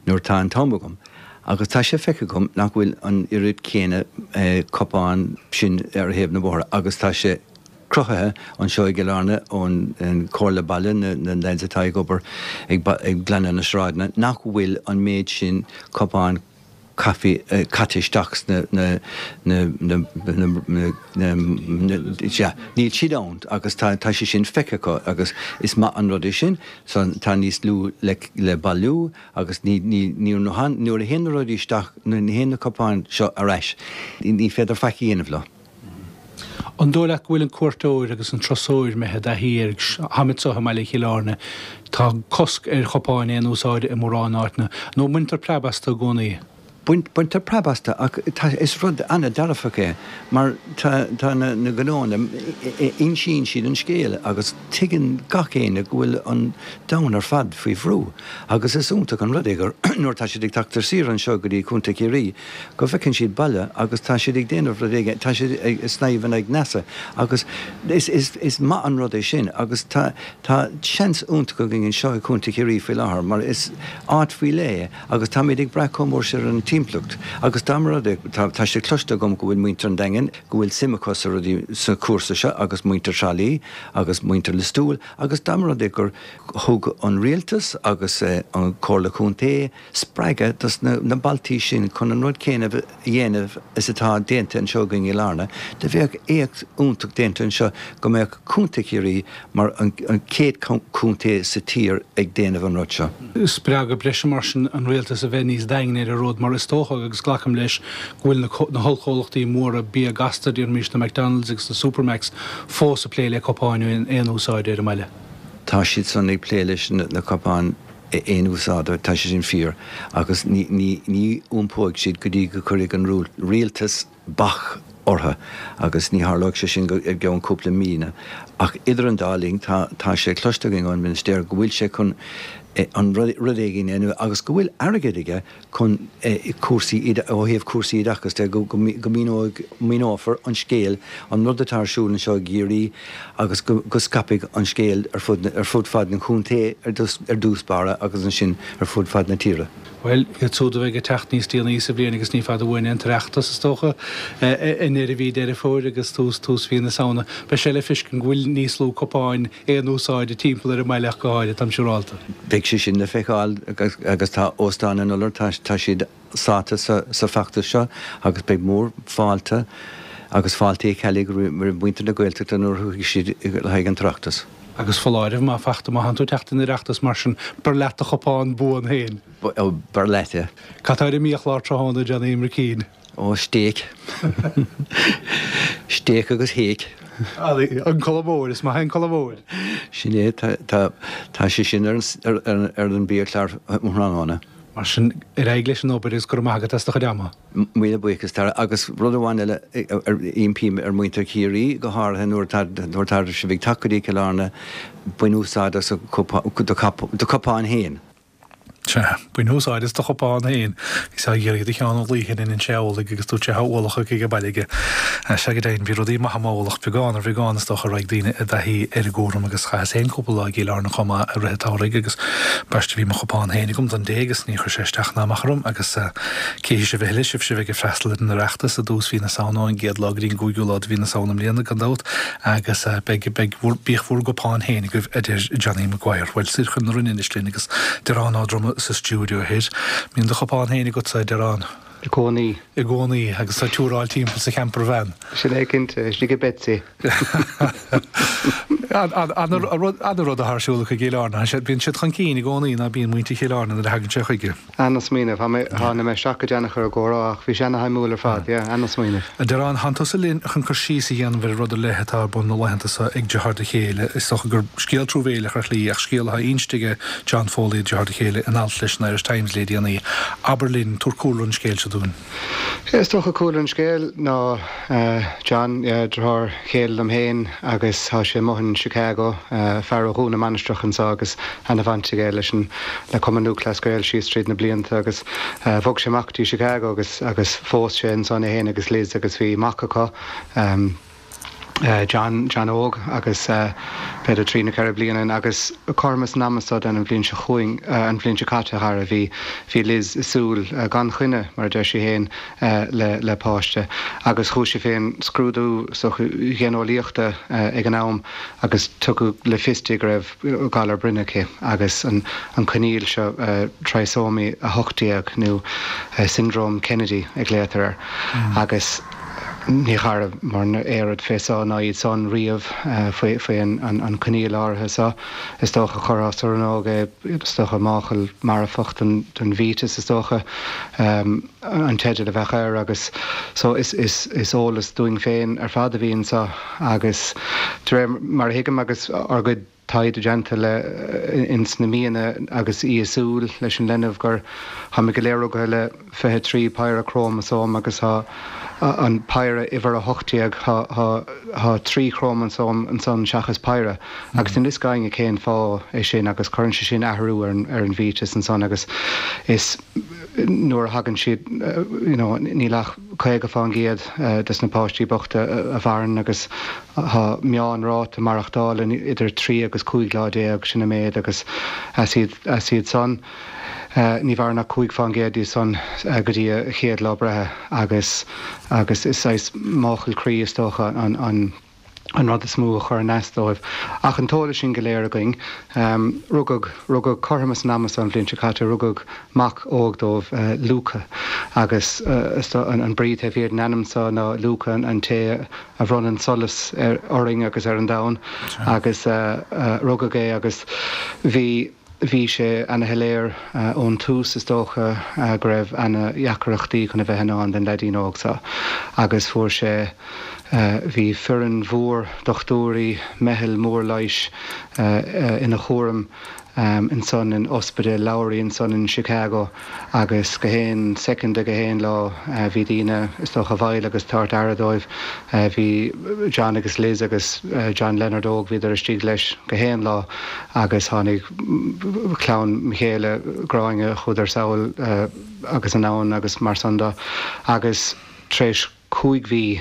[SPEAKER 3] nuair atá an t-am agam. Agus tá sé feicthe agam nach bhfuil an oiread céanna cupán sin ar thaobh na bóithre agus tá sé cruthaithe anseo i gCill Airne ón Chomhairle Baile, na lads atá ag obair ag glanadh na sráideanna, nach bhfuil an méid sin cupán caife caite isteach sna na na na na sea, níl siad ann agus tá tá sé sin feicthe acu agus is maith an rud é sin, so tá níos lú le le bailiú. Agus ní, ní, ní, nuair a théann na rudaí isteach, nuair a théann na cupáin seo ar ais, ní féidir faic a dhéanamh leo.
[SPEAKER 1] An dóigh leat go bhfuil an cuairteoir agus an turasóir imithe i dtaithí air? Táimid anseo i mbaile Chill Airne, tá cosc ar chupáin aon úsáide i mórán áiteanna, nó an mbaintear preab astu i gcónaí?
[SPEAKER 3] Baintear preab astu ach tá, is rud an-dearfach é mar tá, tá na, na gnóanna, insíonn siad an scéal agus tuigeann gach éinne go bhfuil an domhan ar fad faoi bhrú agus is iontach an rud é gur nuair atá siad ag teacht ar saoire anseo go dtí Contae Chiarraí go bhfeiceann siad baile agus tá siad ag déanamh rud éigin, tá siad ag snámh in aghaidh NASA agus is, is, is maith an rud é sin agus tá, tá seans iontach againn anseo i Contae Chiarraí faoi láthair mar is áit faoi leith é. Agus táimid ag brath chomh mór sin ar an timpeallacht. Agus dá mba rud é, tá, tá sé cloiste agam go bhfuil muintir an Daingin, go bhfuil suim acu sa rudaí, sa chúrsa seo agus muintir Thrá Lí agus muintir Lios Tuathail agus dá mba rud é gur thug an rialtas agus an Chomhairle Contae spreagadh dos na, na bailtí sin chun an rud céanna a dhéanamh is atá déanta anseo againn i Larna, do bheadh éacht iontach déanta anseo go mbeadh Contae Chiarraí mar an chéad chontae sa tír ag déanamh an rud seo.
[SPEAKER 1] Spreagadh breise mar sin an rialtas a bheith níos daingne ar an rud mar is dócha, agus glacaim leis, go bhfuil na hollchomhlachtaí móra bia gasta, déarfaimis na McDonalds agus na Supermacs, fós ag plé le cupáin aon úsáide ar an mbaile.
[SPEAKER 3] Tá siad san ag plé leis na cupáin aon úsáide, tá sé sin fíor, agus ní iompóidh siad go dtí go gcuirfidh an rialtas bac orthu agus ní tharlóidh sé sin go i gceann cúpla mí. Ach idir an dá linn tá tá sé cloiste againn ón Ministéir go bhfuil sé chun an rud éigin a dhéanamh agus go bhfuil airgead aige chun cúrsaí ó thaobh cúrsaí oideachais de go go míneoidh míneofar an scéal an rud atá ar siúl anseo i gCiarraí agus go go scaipfidh an scéal ar fud ar fud fad an chontae ar ar dtús báire agus ansin ar fud fad na tíre.
[SPEAKER 1] Bhuel, iad siúd a bheidh ag teacht níos déanaí sa bhliain agus ní fada uainn é an tOireachtas, is dócha, i ndeireadh mhí Deireadh Fómhair agus tús, tús mhí na Samhna, beidh sé le feiscint go bhfuil níos lú cupáin aon úsáide timpeall ar an mbaile ach go háirithe, táim siúrálta.
[SPEAKER 3] Beidh sé sin le feiceáil agus tá Óstán an Iolair, tá, tá siad sáite sa, sa bhfeachtas seo agus beidh mór fáilte agus fáilte Uí Cheallaigh roimh mhuintir na Gaeltachta nuair a thiocfaidh siad le haghaidh an tOireachtas.
[SPEAKER 1] Agus foláireamh, má fachta, má thánn tú ag teacht don Oireachtas mar sin, beir leat do chupán buan féin.
[SPEAKER 3] Ó, beir leat é.
[SPEAKER 1] Cad tá ar an mbiachlár tráthnóna, Johnny McKean?
[SPEAKER 3] Ó, stéic. Stéic agus héic.
[SPEAKER 1] An Collamóir, is maith é an Collamóir.
[SPEAKER 3] Sin é, tá, tá, tá sé sin ar an, ar, ar an mbiachlár um thráthnóna.
[SPEAKER 1] Mar sin, ar aghaidh leis an obair agus go raibh maith agat as do chuid ama.
[SPEAKER 3] Míle buíochas, Tara. Agus rud amháin eile, impím ar mhuintir Chiarraí, go háirithe nuair atá sibh ag teacht go dtí Cill Airne, bain úsáid as do chupán féin.
[SPEAKER 1] Sea, bain úsáid as do chupán féin. Bhíos á iarraidh do Sheán Ó Laoithe in sé amhlaidh agus dúirt sé tá ualach aige ag baile aige. Sea, go deimhin, bhí rudaí maith amuigh, ualach beagán ar bheagán is dócha a raghaidh daoine i dtaithí ar an gcúram agus chaitheas féin cúpla lá i gCill Airne chomh maith i rith an tsamhraidh agus ambaiste bhí mo chupán féin agam don dé agus ní chuir sé isteach ná amach orm agus Cífidh sibh a thuilleadh, sibhse a bheidh ag freastal ar an Oireachtas i dtús mhí na Samhna, ón gcéad lá go dtí an gcúigiú lá de mhí na Samhna i mbliana, gan dabht, agus beidh, beidh bhur, bíodh bhur gcupán féin agaibh, a deir Johnny Maguire. Bhuel, soir chun na Rinne anois linn agus Diarán Ó Droma sa stiúideo thoir. Mbíonn do chupán féin agatsa, a Dhiaráin?
[SPEAKER 4] I gcónaí.
[SPEAKER 1] I gcónaí, agus tú ag tuaráil timpeall sa campervan.
[SPEAKER 4] Sin é cinnte, istigh i Betsy.
[SPEAKER 1] Ana-rud atá ar siúl acu i gCill Airne. Bíonn siad chun cinn i gcónaí, ná bíonn muintir Chill Airne nuair a thagann sé chuige.
[SPEAKER 4] Ana-smaoineamh. Tháinig mé isteach go déanach ar an gcomhrá ach bhí sé ana-shuimiúil ar fad. Yeah, ana-smaoineamh.
[SPEAKER 1] A Dhiaráin, thánn tusa linn chun cur síos a dhéanamh ar rud ar leith atá ar bun na laethanta seo ag deartháir do chéile. Is dócha gur scéal truamhéileach ar shlí ach scéal atá inste aige John Foley, deartháir do chéile, in alt leis an Irish Times le déanaí. Abair linn, tabhair cúlra an scéil seo dúinn.
[SPEAKER 4] Is dócha cúlra an scéil ná John, deartháir chéile liom féin agus tá sé amuigh in Chicago, fear ó Dhún na Mainistreach anseo agus ana-bhaint aige leis an le Cumann Lúthchleas Gael síos tríd na blianta agus bhog sé amach go dtí Chicago agus agus phós sé ansan é féin agus Liz agus bhí mac acu. John, John óg agus b'fhéidir trí nó ceithre bliana agus cothrom an ama seo den an bhliain seo chugainn, an bhliain seo caite a Dhara, bhí, bhí Liz ag súil, gan choinne mar a deir sí féin, le, le páiste agus chuaigh sí fén scrúdú is dócha ghéineolaíochta ag an am agus tugadh le fios di go raibh galar broinne aici agus an, an coinníoll seo Trisomy 18 nó Syndrome Kennedy a ghlaotar air agus. Ní chaireamar aon rud fé so ná iad san riamh faoi an coinníoll áirithe so. Is dócha chuirfeá sa rannóg é, is dócha máchail marfach don bhfíteas is dócha an teideal a bheadh air agus so is eolas dúinn féin ar fad a bhí anso agus de réir mar a thuigim agus ár gcuid. taighde déanta le ins na míonna agus í i súil leis an leinbh gur tháimid go léir rugaithe le 23 péire crómasóm agus tá an péire uimhir 18, tá 3 chrómasóm ansan seachas péire agus níl fhios ag éinne cén fáth é sin agus cuireann sé sin athrú ar an bhfetus ansan agus is nuair a thagann siad you know níl ach 50% des na páistí bochta a mhaireann agus tá meánráta maireachtála idir 3 agus 15 lá sin an méid agus as iad as iad san. Ní mhaireann ach 5% díobh san go dtí a chéad lá breithe agus agus is saghas máchail croí is dócha an an an rud is mó a chuireann as dóibh. Ach an t-eolas sin go léir againn, rugadh rugadh cothrom is an ama so an bhliain seo caite, rugadh mac óg dóibh, Luca, agus is an brí taobh thiar den ainm so ná Luca an té a bhronnann solas ar orainn agus ar an domhan agus rugadh é agus bhí Bhí sé ana-shoiléir ón tús, is dócha, go raibh ana-dheacaireachtaí chun a bheith i ndán don leaidín óg seo agus fuair sé, bhí foireann mhór dochtúirí, meitheal mór leighis ina chúram ansan in Ospidéal Lowry ansan in Chicago. Agus gach aon soicind de gach aon lá bhí daoine, is dócha, i bhfeighil agus tabhairt aire dóibh. Bhí John agus Liz agus John Leonard óg, bhíodar istigh leis gach aon lá agus tháinig clann mo chéile, Gráinne, chuadar sall agus anonn agus mar san do. Agus tar éis 5 mhí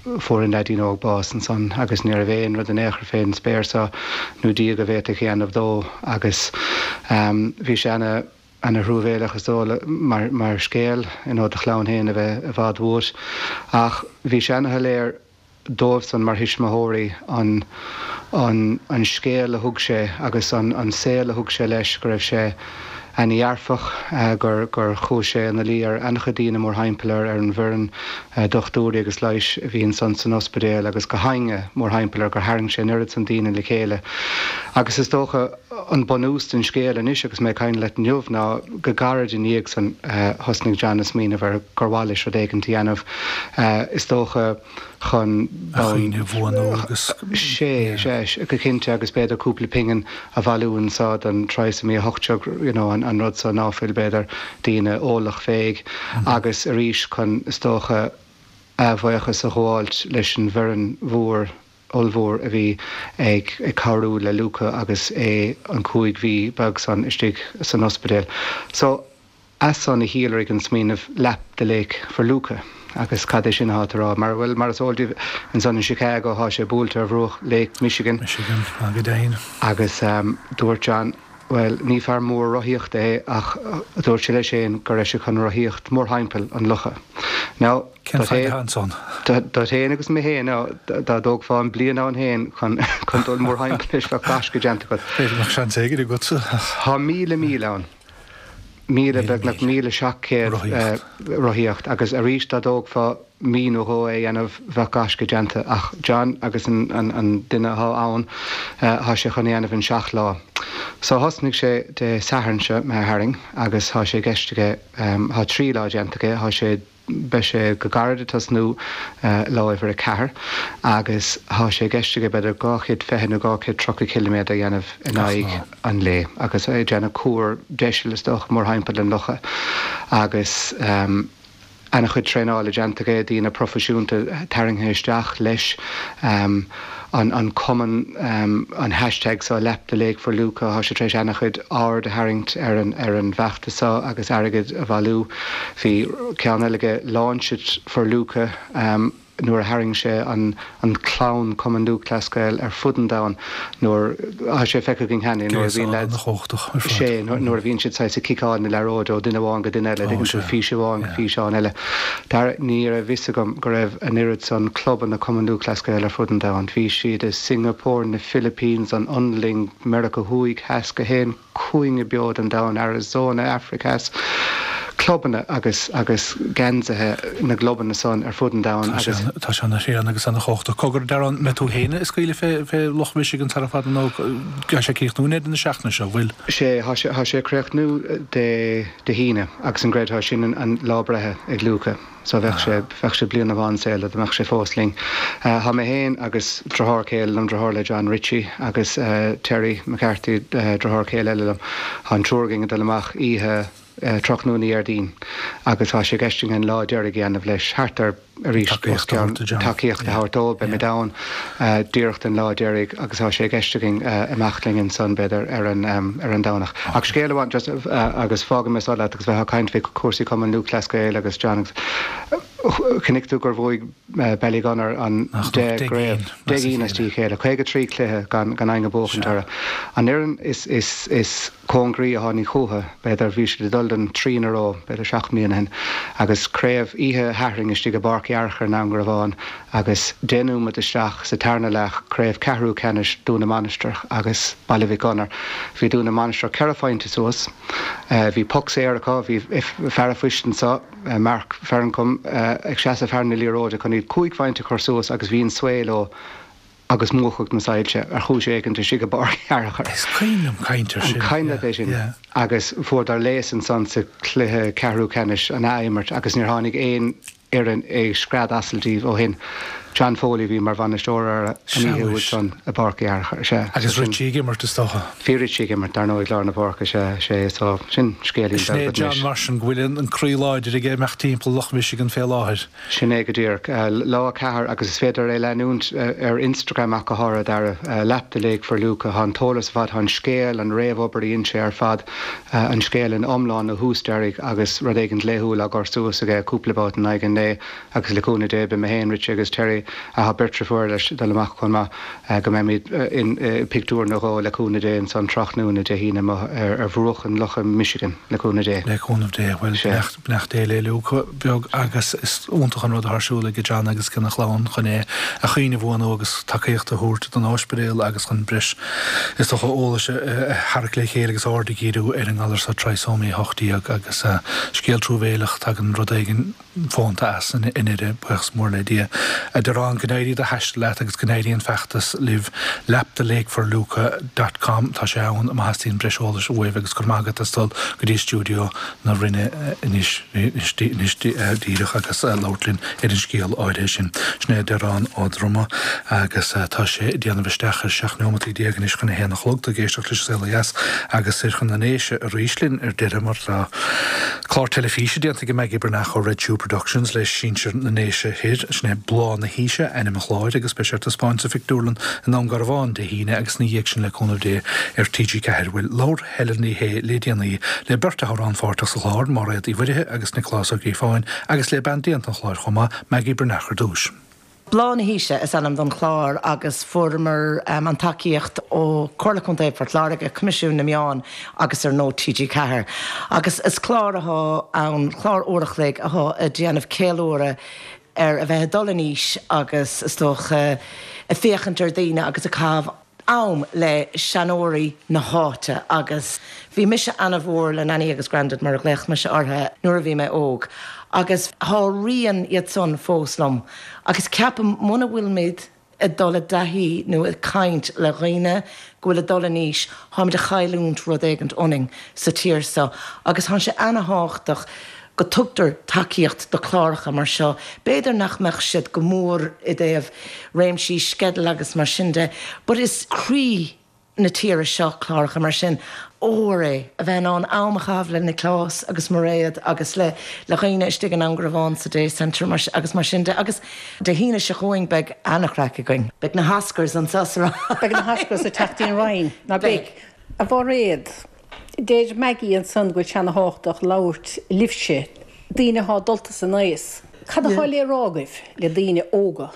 [SPEAKER 4] fuair an leaidín óg bás ansan agus ní raibh aon rud in aon chor fén spéir so nó Dia go bhféadfadh a dhéanamh dó agus bhí sé ana ana thruamhéileach is dóigh mar mar scéal you know do chlann féin a bheith i bhfad uait ach bhí sé ana shoiléir dóibhsan mar thuismitheoirí an an an scéal a thug sé agus an an saol a thug sé leis go raibh sé ana-dhearfach, gur gur chuaigh sé ina luí ar an-chuid daoine mórthimpeall air, ar an bhfoireann dochtúirí agus leighis a bhí ansan san ospidéal agus gach éinne mórthimpeall air, gur tharraing sé an oiread san daoine le chéile. Agus is dócha an bunús den scéal anois agus mé ag caint leat inniu ná go gairid i ndiaidh san thosnaigh John ag smaoineamh ar gur mhaith leis rud éigint a dhéanamh. Is dócha. chun
[SPEAKER 1] A chuimhne a bhuanú agus.
[SPEAKER 4] Sea, sea, go cinnte agus b'fhéidir cúpla pingin a bhailiú anso don Trisomy 18, you know, an rud so ná fuil, b'fhéidir, daoine eolach féig agus arís chun, is dócha, a bhuíochas a ghabháilt leis an bhfoireann mhór, ollmhór a bhí ag cabhrú le Luca agus é an 5 mhí beag san istigh san ospidéal. So. As san a shíolraigh an smaoineamh 'Lap the Lake for Luca'. Agus cad é sin athá tú a rá? Mar, bhuel, mar is eol daoibh, ansan in Chicago thá sé buailte ar bhruach Lake Michigan.
[SPEAKER 1] Michigan, go deimhin.
[SPEAKER 4] Agus dúirt John, bhuel, ní fear mór rothaíochta é ach dúirt sé leis féin go raibh sé chun rothaíocht mórthimpeall an locha. Now,
[SPEAKER 1] Cén fhaid atá ansan?
[SPEAKER 4] Duit féin agus mé féin, now, dá dtógfá an bliain ann féin chun dul mórthimpeall leis bheadh gaisce déanta agat.
[SPEAKER 1] B'fhéidir go mbeadh seans éigin agatsa.
[SPEAKER 4] Thá 1,000 míle ann. 1,000, beagnach 1,700 rothaíocht agus arís dá dtógfá mí nó dhó é a dhéanamh bheadh gaisce déanta ach John agus an duine athá ann thá sé chun é a dhéanamh in 7 lá. So thosnaigh sé Dé Sathairn seo imithe tharainn agus thá sé i gceist aige, thá 3 lá déanta aige, thá sé Beidh sé go gairid ag tosnú lá uimhir 4 agus thá sé i gceist aige b'fhéidir 220 nó 230 ciliméadar a dhéanamh in aghaidh an lae agus é ag déanamh cuar deiseal is dócha mórthimpeall an locha agus ana-chuid traenála déanta aige, daoine proifisiúnta tarraingthe isteach leis. An cumann, an hashtag seo Lap the Lake for Luca, thá sé tar éis ana-chuid aird a tharraingt ar an ar an bhfeachtas seo agus airgead a bhailiú. Bhí ceann eile aige Launch it for Luca nuair a tharraing sé an an clann Cumann Lúthchleas Gael ar fud an domhain nuair, thá sé feicthe againn cheana nuair a bhíonn leaids, sé nuair a bhíonn siad saghas ag ciceáil na liathróide ó duine amháin go duine eile, dtuigeann tú, fís amháin go físeán eile. Dara, ní raibh fhios agam go raibh an oiread san clubanna Cumann Lúthchleas Gael ar fud an domhain. Bhí siad i Singapore, na Philippines, an Fhionlainn, Meiriceá Thuaidh, Theas, gach aon chúinne beo den domhan, Arizona, Afraic Theas. Clubanna agus agus geansaithe na gclubanna san ar fud an domhain agus.
[SPEAKER 1] Tá sé ana-thréan agus ana-chumhachtach. Cogar, a Dearáin, mbeidh tú féin ag scaoileadh fé fé Loch Michigan sara fada nó tá sé ag críochnú i ndeireadh na seachtaine seo, bhfuil?
[SPEAKER 4] Sé, tá sé, tá sé ag críochnú Dé Dé hAoine agus an gcreidfeá sin an lá breithe ag Luca. So bheadh sé, bheadh sé bliain amháin saol dá mbeadh sé fós linn. Tá mé féin agus driotháir céile liom, driotháir le John Richie agus Terry McCarthy, driotháir céile eile liom, tá an triúr againn ag dul amach oíche tráthnóna Dhéardaoin agus tá sé i gceist againn an lá deiridh a dhéanamh leis, thart ar arís os cionn tacaíocht a thabhairt dó, beimid ann díreach don lá deiridh agus tá sé i gceist againn imeacht linn ansan b'fhéidir ar an ar an Domhnach. Ach scéal amháin just agus fágfaidh mé seo leat agus bheifeá ag caint faoi chúrsaí Cumann Lúthchleas Gael agus John agus chonaic tú gur bhuaigh Ballygunner an 10 gcraobh, 10 gcinn as a chéile, 53 cluiche gan gan éinne ag buachaint orthu. An fhoireann is is is cóngaraí a tháinig chucu, b'fhéidir, bhí siad ag dul don tríú in a row, b'fhéidir 7 mbliana ó shin, agus craobh oíche Shathairn istigh i bPáirc Uí Fhearchair in Indreabhán agus 10 nóiméad isteach sa tarna leath, craobh ceathrú ceannais Dún na Mainistreach agus Baile Mhic Gonair. Bhí Dún na Mainistreach ceithre phointe suas, bhí poc saor acu, bhí fear an phoist anso, Mark Ferncombe, ag seasamh thar na liathróide chun iad cúig phointe a chur suas agus bhí an svae leo. agus múchadh na soilse ar chúis éigint istigh i bPáirc Uí Fhearchair.
[SPEAKER 1] Is cuimhin liom caint ar
[SPEAKER 4] sin. An cuimhin leat é sin?
[SPEAKER 1] Yeah.
[SPEAKER 4] Agus fuaireadar léas ansan sa chluiche ceathrú ceannais an ath-imirt agus níor tháinig aon fhoireann ag scread asail díobh ó shin. John Foley a bhí mar bhainisteoir orthu an oíche úd san i bPáirc Uí Fhearchair. Sea.
[SPEAKER 1] Agus Richie ag imirt is dócha.
[SPEAKER 4] Bhí Richie ag imirt, dar ndóigh, lár na páirce, sea, sea, so sin scéilín
[SPEAKER 1] Sin é
[SPEAKER 4] beag
[SPEAKER 1] John
[SPEAKER 4] anois.
[SPEAKER 1] mar sin go bhfuil an croí láidir aige imeacht timpeall Loch Michigan fé láthair.
[SPEAKER 4] Sin é go díreach. Lá 4 agus is féidir é leanúint ar Instagram ach go háirithe, Dara. Lap the Lake for Luca. Tá an t-eolas ar fad, tá an scéal, an réamhobair a dhein sé ar fad, an scéal ina iomlán ó thús deiridh agus rud éigint laethúil á gcur suas aige cúpla babhta in aghaidh an lae agus le cúnamh Dé beidh mé féin, Richie agus Terry, tá beirt driofúr leis ag dul amach chomh maith, go mbeimid i pictiúr nó dhó le cúnamh Dé ansan tráthnóna Dé hAoine amuigh ar bhruach an locha Michigan le cúnamh Dé.
[SPEAKER 1] Le cúnamh Dé. Bhuel,
[SPEAKER 4] Sea.
[SPEAKER 1] Beannacht Dé le Luca beag agus is iontach an rud atá ar siúl ag John agus ag a chlann chun é a chuimhne a bhuanú agus tacaíocht a thabhairt don ospidéal agus chun breis is dócha eolais a tharrac le chéile agus aird a dhíriú ar an ngalar seo Trisomy 18 agus scéal truamhéileach tagann rud éigin fónta as i ndeireadh, buíochas mór le Dia. A Dearáin, go n-éirí do thaisteal leat agus go n-éirí an feachtas libh Lap the Lake for Luca dot com tá sé ann má theastaíonn breis eolais uaibh agus go raibh maith agat as dul go dtí stiúideo na Rinne anois anois díreach agus labhairt linn ar an scéal áirithe sin. Sin é Dearán Ó Droma agus tá sé ag déanamh isteach ar 17 neomataí anois chun a haon a chlog. Tá ag éisteacht leis an Saol Ó Dheas agus soir chun na nDéise arís linn ar deireadh mar tá clár teilifíse déanta ag Maggie Breathnach ó Red Shoe Productions le sinsir na nDéise Thoir. Sin é Bláth na hAoise ainm an chláir agus beidh sé ar taispeáint sa phictiúrlann i nDún Garbhán Dé hAoine agus ina dhiaidh sin le cúnamh Dé ar TG4. Bhuel, labhair Helen Ní Shé le déanaí le beirt a raibh rannpháirteach sa chlár, Máiréad Uí Mhuirithe agus Nioclás Ó Gríofáin, agus le bean déanta an chláir chomh maith, Maggie Breathnach ar dtús.
[SPEAKER 5] Bláth na hAoise is ainm don chlár agus fuaireamar an tacaíocht ó Chomhairle Contae Phort Láirge, Coimisiún na Meán agus ar ndóigh TG4. Agus is clár athá ann, clár uair a chloig athá ag déanamh ceiliúradh ar a bheith ag dul in aois agus is dócha ag féachaint ar daoine agus ag caitheamh am le seanóirí na háite agus bhí mise ana-mhór le Nanny agus Grandad mar a ghlaoch mise orthu nuair a bhí mé óg agus thá rian iad san fós liom agus ceapaim muna bhfuilimid ag dul i dtaithí nó ag caint le dhaoine go bhfuil ag dul in aois tháimid a chailliúint rud éigint ionainn sa tír seo agus thá sé ana-thábhachtach go tugtar tacaíocht do chláracha mar seo. B'fhéidir nach mbeadh siad go mór i dtaobh réimsí sceidil agus mar sin de, but is croí na tíre seo cláracha mar sin. Ór é a bheith in ann am a chaitheamh le Nioclás agus Mairéad agus le le dhaoine istigh i nDún Garbhán sa Day Centre mar agus mar sin de. Agus Dé hAoine seo chugainn beidh ana-chraic againn. Beidh na hOscars anseo sa
[SPEAKER 6] Rinn. Beidh na hOscars ag teacht dtí'n Rinn, ná beidh? A Mhairéad, Deir Maggie ansan go bhfuil sé ana-thábhachtach labhairt libhse, daoine athá dulta san aos. Cad athá le rá agaibh le daoine óga?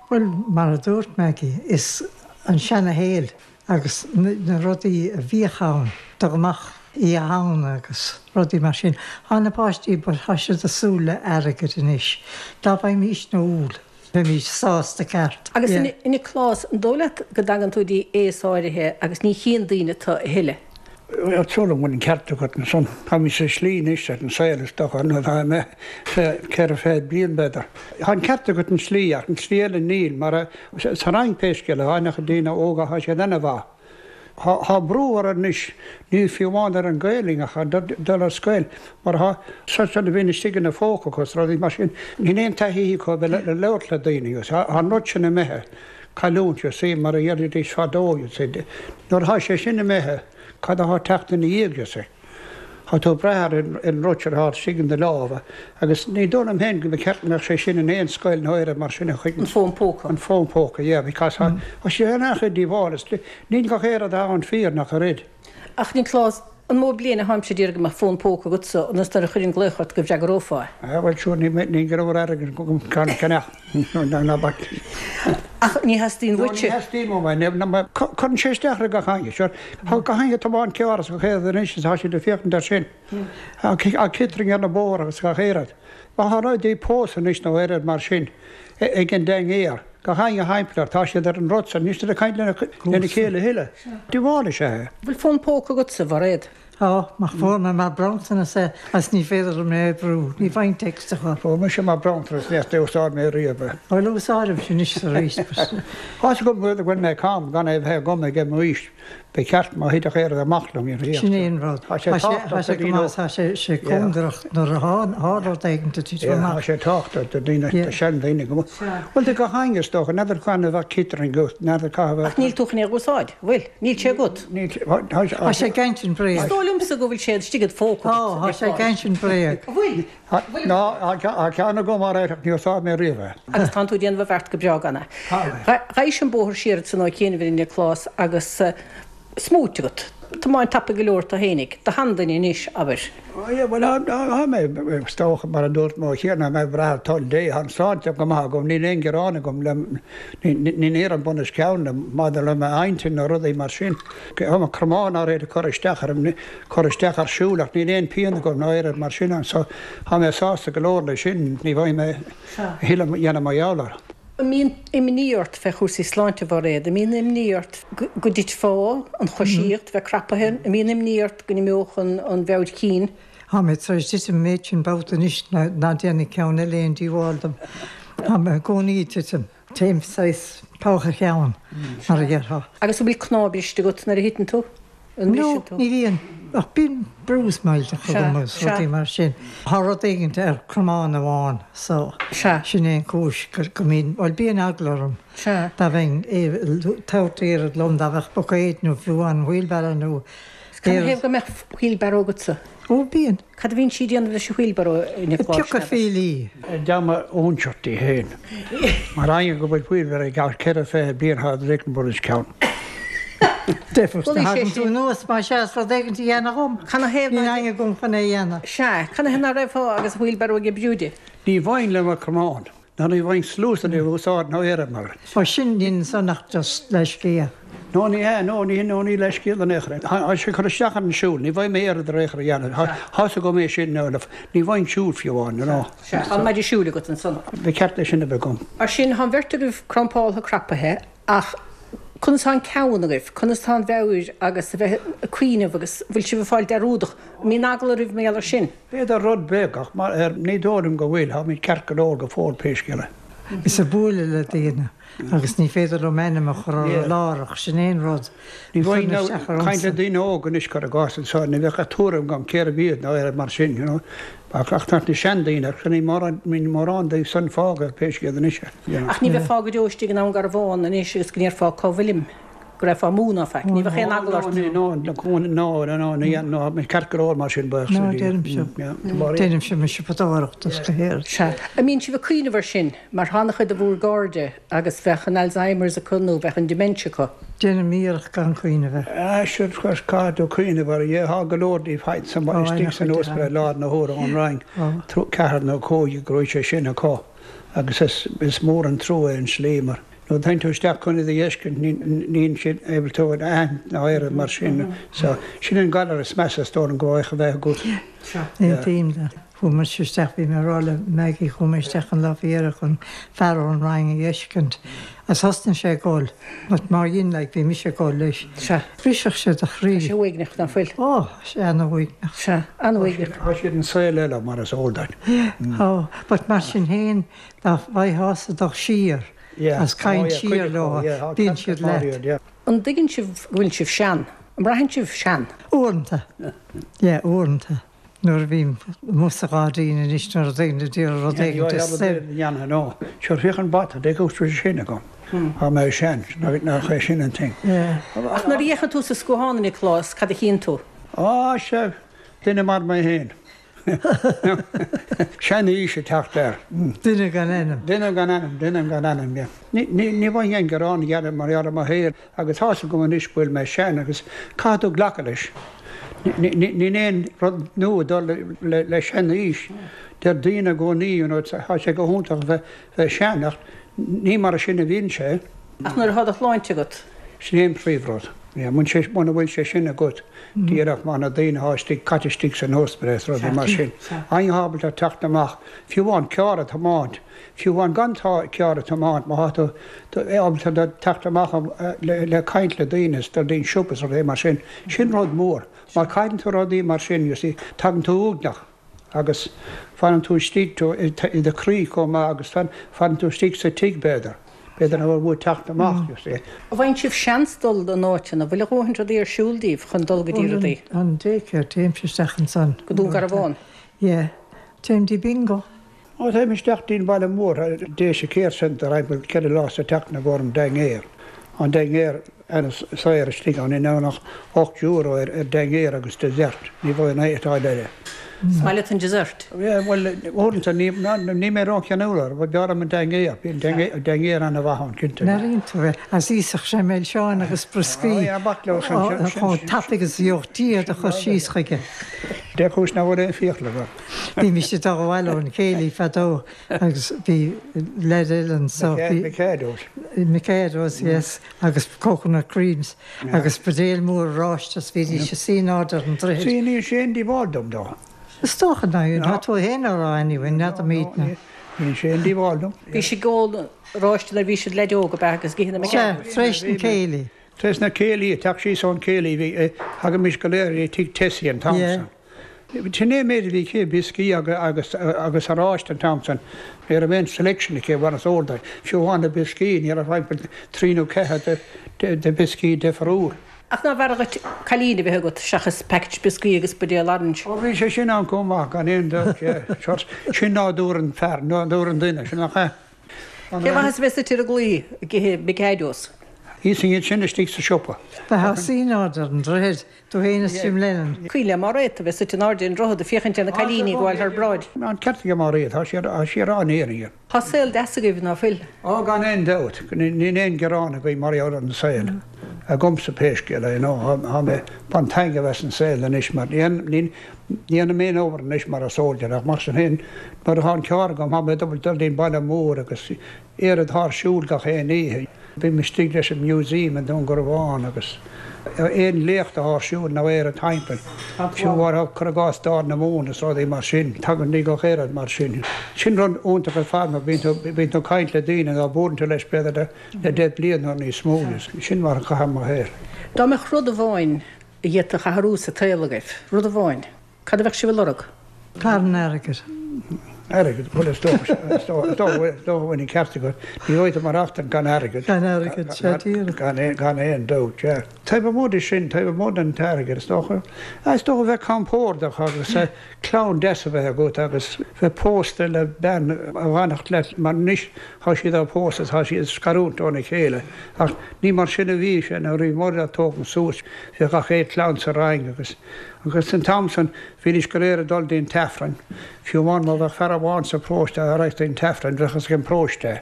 [SPEAKER 7] Bhuel, mar a dúirt Maggie, is an seana-shaol agus na rudaí a bhíodh ann, dul amach Oíche Shamhna agus rudaí mar sin. Tá na páistí, but tá siad ag súil le airgead anois. Dá bhfaighimísne úll. Bheimís sásta ceart.
[SPEAKER 6] Agus a Niocláis, an dóigh leat go dtagann tú dtí aos áirithe agus ní chíonn daoine tu a thuilleadh?
[SPEAKER 8] Tá súil agam go bhfuil an ceart agat ansan. Táimid sa slí anois ar an saol is dócha nuair atá mé 44 bliain b'fhéidir. Tá an ceart agat an slí ach an slí eile níl mar sa Fhrainc pé scéal é, tá an-chuid daoine óga tá siad ana-mhaith. Tá brú orthu anois, ní fiú amháin ar an Ghaelainn ach dul ar scoil mar tá siad a bhíonn istigh ina phóca acu is rudaí mar sin. Níl aon taithí acu a bheith le labhairt le daoine agus tá an rud sin imithe. Cailliúint, you see, mar a dhéarfaidís fadó, you see. Nuair atá sé sin imithe, cad atá ag teacht ina dhiaidh, you see? Tá tú ag brath ar an rud sin atá istigh in do lámha agus ní dóigh liom féin go mba cheart go mbeadh sé sin in aon scoil nó oiread mar sin a chuid.
[SPEAKER 6] An fón póca.
[SPEAKER 8] An fón póca, yeah, because tá sé an-chuid díobháil is níl gach aon rud atá ann fíor nach oiread.
[SPEAKER 6] Ach Nioclás, an mó bliain atáimse ag iarraidh go mbeadh fón póca agatsa ionas nuair a chuirfinn glaoch ort go bhfreagrófá
[SPEAKER 8] é? Ah, bhuel, sure, ní, ní go raibh airgead agam ceann a cheannach, ná bac.
[SPEAKER 6] Ach ní theastaíonn
[SPEAKER 8] uait. No, ní theastaíonn uaim é, ná, ná, cuireann sé isteach ar gach éinne, sure. Tá gach éinne ag tiomáint carr agus gach aon rud anois is tá siad ag féachaint air sin. Ag citring ar na bóithre agus gach aon rud. Má tá rudaí pósta anois nó oiread mar sin ag an dainséar, gach éinne thimpeall air, tá siad ar an rud san, níl siad ag caint lena chéile a thuilleadh. Díobháil is ea é.
[SPEAKER 6] Bhfuil fón póca agatsa, a Mhairéad?
[SPEAKER 7] Tá, ach fuair mé mar bronntanas é agus ní féidir liom é a oibriú, ní bhfaighinn text a chur.
[SPEAKER 8] Fuair mise mar bronntanas é ach níor úsáid mé riamh é.
[SPEAKER 7] Bhuel úsáidim anois is arís but.
[SPEAKER 8] Tá's agam go bhfuil mé cam gan é a bheith agam ag m'aois. Ba cheart má thitfeadh aon rud amach liom, you know.
[SPEAKER 7] Sin é an rud.
[SPEAKER 8] Tá sé tábhachtach
[SPEAKER 7] do dhaoine óga. Tá sé cóngarach nuair a tharla rud éigin do titim amach.
[SPEAKER 8] Tá sé tábhachtach do dhaoine, do seandaoine go maith. Bhuel, do gach éinne is dócha, n'fheadar cathain a bheadh citrin agat, n'fheadar cá bheadh.
[SPEAKER 6] Ach níl tú chun é a úsáid, bhfuil? Níl sé agat.
[SPEAKER 8] Níl, tá
[SPEAKER 7] sé ag insint bréag.
[SPEAKER 6] Is dóigh liomsa go bhfuil sé istigh id phóca
[SPEAKER 7] agat. Tá, tá sé ag insint bréag.
[SPEAKER 6] Bhfuil?
[SPEAKER 8] Ná, tá ceann agam ar ach níor úsáid mé riamh é.
[SPEAKER 6] Agus tánn tú ag déanamh an bheart go breá gan é. Ghabhais an bóthar siar ansan ó chianaibh a Nioclás agus smúit agat. Tiomáint tapaidh go leor tú fhéinig. Do sheanduine anois, abair.
[SPEAKER 8] Ó yeah, bhuel, tá mé, is dócha, mar a dúirt mé cheana, tá mé ag brath ar toil Dé. Tá an sláinte go maith agam, níl aon ghearán agam le, ní éiríonn bun os cionn liom maidir le m'intinn nó rudaí mar sin. Tá mo chromán á réir ag cur isteach orm, cur isteach ar siúl ach níl aon pian agam ná oiread mar sin ann so tá mé sásta go leor leis sin, ní bhfaighidh mé a thuilleadh a dhéanamh mar gheall air.
[SPEAKER 6] An mbíonn imní ort fé chúrsaí sláinte, a Mhairéad? An mbíonn imní ort go dtitfeá, an choisíocht, bheith crapaithe? An mbíonn imní ort go n-imeodh an mheabhair chinn?
[SPEAKER 7] Tá mé tar éis titim an méid sin babhta anois ná déanfaidh ceann eile aon díobháil dom. Tá mé i gcónaí ag titim. Téim saghas togha cheann, mar a déarfá.
[SPEAKER 6] Agus an bhfuil cnámh briste agat nuair a thiteann tú?
[SPEAKER 7] An mbriseann tú? No, ní bhíonn. Ach bíonn bruise millteach agam agus rudaí mar sin. Tá rud éigint ar cromán amháin so sin é an chúis go mbíonn, bhuel bíonn eagla orm dá mbeinn ag tabhairt oiread liom, dá mbeadh buicéad nó fiú an wheelbarrow nó
[SPEAKER 6] Cad 'na thaobh go mbeadh wheelbarrow agatsa?
[SPEAKER 7] Ó, bíonn.
[SPEAKER 6] Cad a bhíonn sí ag déanamh leis an wheelbarrow, a
[SPEAKER 7] Niocláis? Ag piocadh fiailí.
[SPEAKER 8] Dá mba óinseach di féin. Mar éinne go bhfuil wheelbarrow ag gabháil 24 bliain thar an bun os cionn.
[SPEAKER 7] Deifir, thagann tú anuas má sheas rud éigin a dhéanamh dhom.
[SPEAKER 6] Cad 'na thaobh
[SPEAKER 7] Níl éinne agam chun é a dhéanamh.
[SPEAKER 6] Sea, cad 'na thaobh ná raibh agus wheelbarrow ag oibriú di?
[SPEAKER 8] Ní bhfaighinn le mo chromán. Ná ní bhfaighinn sluas an úsáid ná éirim mar.
[SPEAKER 7] Ó sin níl ansan ach just leithscéal.
[SPEAKER 8] No ní hea, no ní no ní leithscéal in aon chor é. Tá sé ag cur isteach ar an siúl, ní bhfaighinn mé oiread ar aon chor a dhéanamh. Tá's agam é sin, no ní bhfaighinn siúl fiú amháin, you know.
[SPEAKER 6] Sea, tá an maide siúil agat ansan.
[SPEAKER 8] Ba cheart é sin a bheith agam.
[SPEAKER 6] Mar sin, tá an bheirt agaibh crampáltha crapaithe ach conas tá an ceann agaibh, conas tá an mheabhair agus a bheith ag cuimhneamh agus bhfuil sibh ag fáil dearúdach? An mbíonn eagla oraibh mar gheall air sin?
[SPEAKER 8] B'fhéidir rud beag, ach ní dóigh liom go bhfuil, táimid ceart go leor go fóill pé scéal é.
[SPEAKER 7] Is ag bualadh le daoine agus ní féidir liom ainm a chur orthu láithreach, sin é an rud
[SPEAKER 8] Ní a chuireann isteach ormsa. Caint le daoine óga anois, cuir i gcás anseo, ní bheadh ach tuairim agam cérbh iad nó oiread mar sin, you know. Ach ach na seandaoine, ach níl mórán, níl mórán díobh san fágtha pé scéal anois é,
[SPEAKER 6] you know. Ach ní bheifeá go deo istigh i nDomhan Garbhán anois agus go ndéarfá cá bhfuilim? go raghfá amú ná faic. Ní bheadh aon eagla ort.
[SPEAKER 8] No, no, no, no, no, no, no, ceart go leor mar sin,
[SPEAKER 7] buíochas le Dia. No, deirimse, deirimse mo siopadóireacht is go héard.
[SPEAKER 6] Sea. An mbíonn sibh ag cuimhneamh air sin, mar tá an-chuid de bhúr gcairde agus bheadh an Alzheimer's acu nó bheadh an dementia acu.
[SPEAKER 7] Déanaim iarracht gan cuimhneamh
[SPEAKER 8] air. Ah, sure, caithfidh tú cuimhneamh air, yeah, tá go leor díobh istigh san ospidéal i láthair na huaire ón Rinn, ceathrar nó cúigear go raibh sé sin acu agus is mór an trua é an slí mar. Nuair a théann tú isteach chun iad a fheiscint níl siad able tú a aithint ná oiread mar sin. So, sin an galar is measa is dóigh liom go bhféadfadh a bheith agat.
[SPEAKER 7] Aontaím leat. Chuaigh mise isteach, bhí mé ag rá le Maggie, chuaigh mé isteach an lá faoi dheireadh chun fear ón Rang a fheiscint agus thosnaigh sé ag gol, but mar dhein like, bhí mise ag gol leis.
[SPEAKER 6] Sea.
[SPEAKER 7] Bhrisfeadh sé do chroí.
[SPEAKER 6] Tá sé uaigneach, ná fuil?
[SPEAKER 7] Ó, tá sé ana-uaigneach.
[SPEAKER 6] Sea, an-uaigneach.
[SPEAKER 8] Tá siad in saol eile, mar is eol duit.
[SPEAKER 7] Tá, but mar sin féin, dá bhfaightheása dul siar
[SPEAKER 8] Yeah.
[SPEAKER 7] agus caint
[SPEAKER 8] Oh yeah,
[SPEAKER 7] siar
[SPEAKER 8] cuid acu,
[SPEAKER 7] leo,
[SPEAKER 8] yeah, tá
[SPEAKER 7] bíonn
[SPEAKER 8] ceart
[SPEAKER 7] siad
[SPEAKER 8] go
[SPEAKER 7] leat.
[SPEAKER 8] yeah.
[SPEAKER 6] An dtuigeann sibh go bhfuil sibh sean? An mbraitheann sibh sean?
[SPEAKER 7] Uaireanta. Yeah, uaireanta. Nuair a bhím amuigh sa ghairdín anois nuair a daoine ag iarraidh rud éigin de suim.
[SPEAKER 8] dhéanamh nó sure féach an bata de go bhfuil sin agam. Tá mé sean, nach é sin an thing.
[SPEAKER 6] Ach nuair a fhéachann tú sa scuathán, a Niocláis, cad a chíonn tú?
[SPEAKER 8] Á, sea, duine mar mé féin. Sean-aois ag teacht air.
[SPEAKER 7] Duine gan ainm.
[SPEAKER 8] Duine gan ainm, duine gan ainm, yeah. Ní, ní, ní bhfaighinn aon ghearán a dhéanamh mar gheall ar mo shaol agus tá's agam anois go bhfuil mé sean agus caithfidh tú glacadh leis. Ní, ní, níl aon rud nua ag dul le, le sean-aois. Deir daoine i gcónaí, you know, tá sé go hiontach a bheith, bheith sean ach ní mar sin a bhíonn sé.
[SPEAKER 6] Ach nuair atá do shláinte agat.
[SPEAKER 8] Sin é an príomhrud. Yeah, muna bhfuil sé sin agat, díreach mar na daoine atá istigh, caite istigh san ospidéal is rudaí mar sin. Éinne atá ábalta teacht amach, fiú amháin carr a thiomáint, fiú amháin gan carr a thiomáint, má tá tú ábalta teacht amach le caint le daoine is dul dtí'n siopa is rudaí mar sin, sin rud mór. Má chailleann tú rudaí mar sin, you see, tagann tú uaigneach. Agus fanann tú istigh i do chroí chomh maith agus fanann tú istigh sa tigh b'fhéidir. B'fhéidir nach bhfuil uait teacht amach, you see.
[SPEAKER 6] An bhfaigheann sibh seans dul in áiteanna? An bhfuil a dhóthain rudaí ar siúl daoibh chun dul go dtí rudaí?
[SPEAKER 7] An daycare, téimse isteach ansan.
[SPEAKER 6] Go Dún Garbhán?
[SPEAKER 7] Yeah. Téim dtí bingo.
[SPEAKER 8] Ó, téim isteach dtí'n bhaile mór, Déise Care Centre, thimpeall 4 lá sa tseachtain i gcomhair an dinnéar. An dinnéar an-saor istigh ann, in ann ach €8 ar dinnéar agus dessert, ní bhfuil aon áit eile.
[SPEAKER 6] Is maith leat an dessert?
[SPEAKER 8] Yeah, bhuel, uaireanta ní, ní mé rócheanúil air, but b'fhearr liom an dinnéar, bíonn dinnéar an-mhaith ann, cinnte.
[SPEAKER 7] Mearaíonn tú é, as íosfadh sé milseáin agus brioscaí chomh tapaidh is a gheobhadh Dia do chur síos chuige.
[SPEAKER 8] Dé chúis nach bhfuil aon fiacla agam.
[SPEAKER 7] Bhímis ag dul abhaile ón chéilí fadó agus bhí leaid eile anso, bhí.
[SPEAKER 8] Mikados.
[SPEAKER 7] Mikados, yes, agus coconut creams agus buidéal mór oráiste is bhídís ag suí in airde ar an droichead.
[SPEAKER 8] Sea, níl sé aon díobháil dom dó.
[SPEAKER 7] Is dócha ná, tá tú fhéin á rá anyway, n'fheadar muidne.
[SPEAKER 8] Níl sé aon díobháil dom.
[SPEAKER 6] Bhí siad ag ól oráiste nuair a bhí siad leaid óg, ab ea, agus ag ithe na
[SPEAKER 7] Sea, tar éis an chéilí.
[SPEAKER 8] Tar éis na céilí, ag teacht síos ón chéilí, bhí, thagaimis go léir go tigh Tessie an t-am san. Sin é an méid a bhí aici, brioscaí agus agus oráiste an t-am san. Ní raibh aon selection aici, mar is eol duit. Fiú amháin na brioscaí, ní raibh thimpeall trí nó ceathair de de bhrioscaí difriúil.
[SPEAKER 6] Ach nárbh fhearr dhuit cailín a bheith agat seachas package brioscaí agus buidéal orange?
[SPEAKER 8] Ó bhí sé sin ann chomh maith, gan aon dabht, yeah. Sin nádúr an fear, nádúr an duine, sin nach ea?
[SPEAKER 6] Cén mhaitheas a bheith suite ar an gclaí ag ithe Mikados?
[SPEAKER 8] Íosfainn iad sin istigh sa siopa.
[SPEAKER 7] Bheifeá ag suí in airde ar an droichead, tú fhéin is Jim Lennon.
[SPEAKER 6] Cuimhin le Máiréad a bheith suite in airde ar an droichead ag féachaint ar na cailíní ag gabháil thar bráid.
[SPEAKER 8] Tá an ceart ag Máiréad, tá sí ag rá an fhírinne.
[SPEAKER 6] Tá saol deas agaibh, ná fuil?
[SPEAKER 8] Ó, gan aon dabht. Níl aon ghearán againn mar gheall ar an saol. Agamsa pé scéal é, nó tá mé ag baint taitneamh as an saol anois mar ní dhéanaim aon obair anois mar is eol duit ach mar sin féin nuair atá an carr agam tá mé ag dul dtí'n baile mór agus oiread atá ar siúl gach aon oíche. Bím istigh leis an museum i nDún Garbhán agus aon léacht atá ar siúl nó oiread timpeall, fiú amháin cuir i gcás Dáil na Mumhan is rudaí mar sin, tagann ní gach oiread mar sin. Sin rud iontach ar fad mar bíonn tú, bíonn tú ag caint le daoine ná buaileann tú leis b'fhéidir le 10 bliain nó níos mó. Sin mar a chaithim mo shaol.
[SPEAKER 6] Dá mbeadh rud amháin a d'fhéadfadh athrú sa tsaol agaibh, rud amháin, cad a bheadh sibh a lorg?
[SPEAKER 7] Carn airgid.
[SPEAKER 8] Airgead, bhuel is dócha, is dócha go bhfuil an ceart agat. Ní bheidh tú ag maireachtaint gan airgead.
[SPEAKER 7] Gan airgead, sea díreach.
[SPEAKER 8] Gan aon dabht, sea. Taobh amuigh de sin, taobh amuigh den t-airgead, is dócha, is dócha bheith compordach agus clann deas a bheith agat agus bheith pósta le bean a bhfanfadh leat mar anois tá siad á pósadh, tá siad ag scarúint óna chéile ach ní mar sin a bhí sé nuair a bhí muid á tógaint suas, bhíodh gach aon chlann sa Rang agus agus an t-am san bhídís go léir ag dul dtí'n t-Aifreann, fiú amháin má bheadh fear amháin sa bparóiste a raghadh dtí'n t-Aifreann bheadh fhios ag an bparóiste é.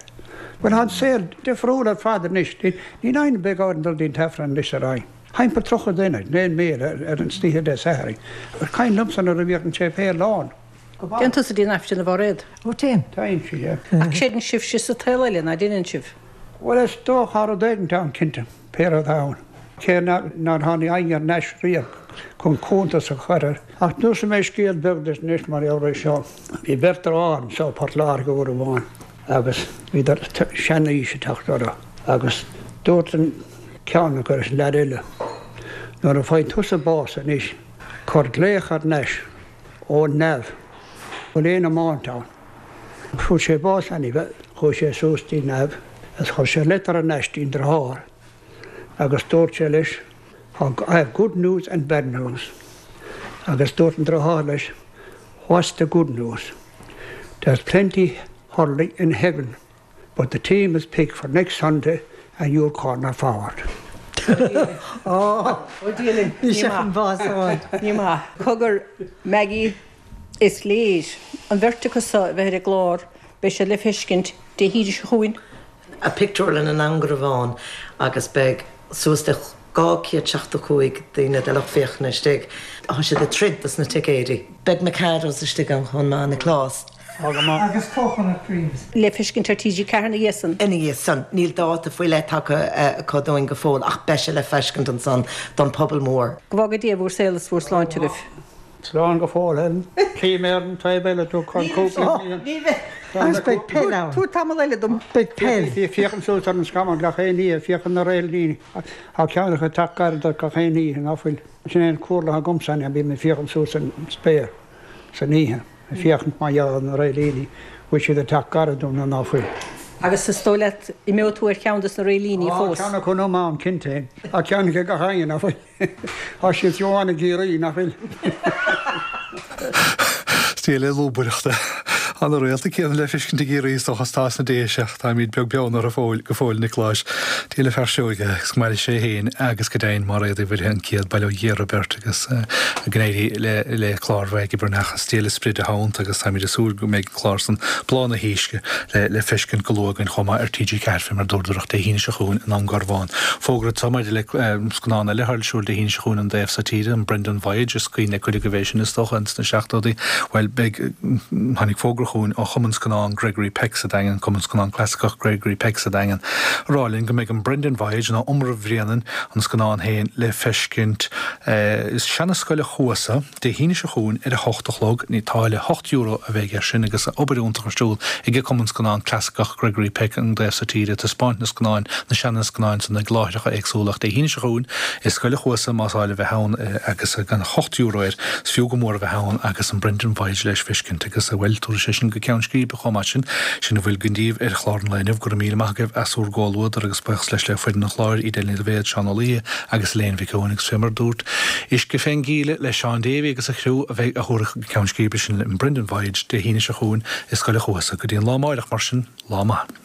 [SPEAKER 8] Bhuel tá an saol difriúil ar fad anois, níl éinne ag dul dtí'n t-Aifreann anois sa Rang. Thimpeall 30 duine, aon méid, ar an oíche Dé Sathairn. Cuimhin liomsa nuair a bhíodh an séipéal lán.
[SPEAKER 6] Téann tusa dtí'n Aifreann a Mháiréad?
[SPEAKER 7] Ó téim.
[SPEAKER 8] Téann sí, yeah.
[SPEAKER 6] Ach creideann sibhse sa tsaol eile, ná deineann sibh?
[SPEAKER 8] Bhuel, is dócha rud éigint ann, cinnte, pé rud ann. Cé nár tháinig éinne thar n-ais riamh. Chun cuntas a chur air. Ach neosfaidh mé scéal beag duit anois mar gheall air seo. Bhí beirt dearthár anseo i Port Láirge uair amháin agus bhíodar seanaois ag teacht orthu agus dúirt an ceann acu leis an leaid eile, Nuair a faigheann tusa bás anois, cuir glaoch thar n-ais ó neamh, bhfuil aon iomáint ann? Fuair sé bás anyway, chuaigh sé suas dtí neamh agus chuir sé leitir thar n-ais dtí'n driotháir agus dúirt sé leis, I have good news and bad news. Agus dúirt an driotháir leis, What's the good news? There's plenty hurling in heaven but the team is picked for next Sunday and you're corner forward.
[SPEAKER 6] Ó Dia linn. Ní maith. Ní maith. Cogar, Maggie, is léir an bheirt acu so a bheith ar an gclár, beidh siad le feiscint Dé hAoine seo chugainn.
[SPEAKER 5] I bpictiúrlann i nDún Garbhán agus beidh suas le 275 daoine de lucht féachana istigh. Tá siad ag troid dos na ticéidí. Beidh Mikados istigh ann chomh maith, Nioclás.
[SPEAKER 7] Agus coconut creams.
[SPEAKER 6] Le feiscint ar TG4 ina dhiaidh san.
[SPEAKER 5] Ina dhiaidh san. Níl dáta faoi leith tagtha acu dúinn go fóill ach beidh sé le feiscint ansan don pobal mór.
[SPEAKER 6] Go bhfága Dia bhur saol is bhur sláinte agaibh.
[SPEAKER 8] Slán go fóill, Helen. Tchí mé ar an taobh eile tú chun cúpla bliain.
[SPEAKER 7] Agus beidh peil ann.
[SPEAKER 6] Tabhair tamall eile dom.
[SPEAKER 7] Beidh peil.
[SPEAKER 8] Féachaim suas ar an scamall gach aon oíche, féachaim na réiltíní. Tá ceann acu ag teacht gar duit gach aon oíche, ná fuil? Sin é an comhairle atá agamsa, bím ag féachaint suas an spéir san oíche, ag féachaint mar gheall ar na réiltíní, bhfuil siad ag teacht gar dom nó ná fuil.
[SPEAKER 6] Agus is dóigh leat, imeoidh tú ar cheann de na réiltíní fós?
[SPEAKER 8] Tá ceann acu liom ann, cinnte. Tá ceann acu gach éinne, ná fuil? Tá siad fiú amháin i gCiarraí, nach bhfuil?
[SPEAKER 1] Stíl lúbaireachta. Tá na réalta céanna le feiscint i gCiarraí is dócha is atá sna Déise ach táimid beag beann orthu fóill, go fóill, Niocláis. Dia le fear Seoige agus go maire sé féin agus go deimhin Máiréad Uí Mhuirthe an chéad Bail ó Dhia orthu beirt agus go n-éirí le le clár Mhaggie Breathnach is Dia le sprid a theannta agus táimid ag súil go mbeidh an clár san Bláth na hUisce le le feiscint go luath againn chomh maith ar TG4 fé mar dúradar Dé hAoine seo chugainn i nDún Garbhán. Fógra anseo maidir le scannán eile atá ar siúl Dé hAoine seo chugainn an taobh so tíre, an Brendan Voyage, is cuimhin le cuid agaibh é sin is dócha, ins na seachtóidí. Bhuel, beidh, tháinig fógra chugainn ó Chumann Scannán Gregory Peck sa Daingean, Cumann Scannán Clasaiceach Gregory Peck sa Daingean, ag rá linn go mbeidh an Brendan Voyage, nó Iomramh Bhréanainn, an scannán féin, le feiscint i Seana-Scoil a' Chuasa, Dé hAoine seo chugainn ar a hocht a chlog, ní táille €8 a bheidh air sin agus obair iontach ar siúl ag an Cumann Scannán Clasaiceach Gregory Peck an taobh so tíre ag taispeáint na scannáin, na seana-scannáin san ag láithreacha éagsúla ach Dé hAoine seo chugainn i Scoil a' Chuasa más áil a bheith ann agus gan €8 air is fiú go mór a bheith ann agus an Brendan Voyage leis feiscint agus bhuel tabharfaidh sé sin go ceann scríbe chomh maith sin. Sin a bhfuil againn daoibh ar chlár an lae inniu. Go raibh míle maith agaibh as bhur gcomhluadar agus buíochas leis le foireann an chláir, Edel Ní Dhaibhéad, Seán Ó Laoithe agus Elaine Mhic Eoin agus fé mar a dúirt Uisce fén gcíle le Seán Davey agus a chriú a bheidh a thabharfaidh go ceann scríbe sinn le an Brendan Voyage Dé hAoine seo chugainn i Scoil a' Chuasa. Go dtí an lá amáireach mar sin, lá maith.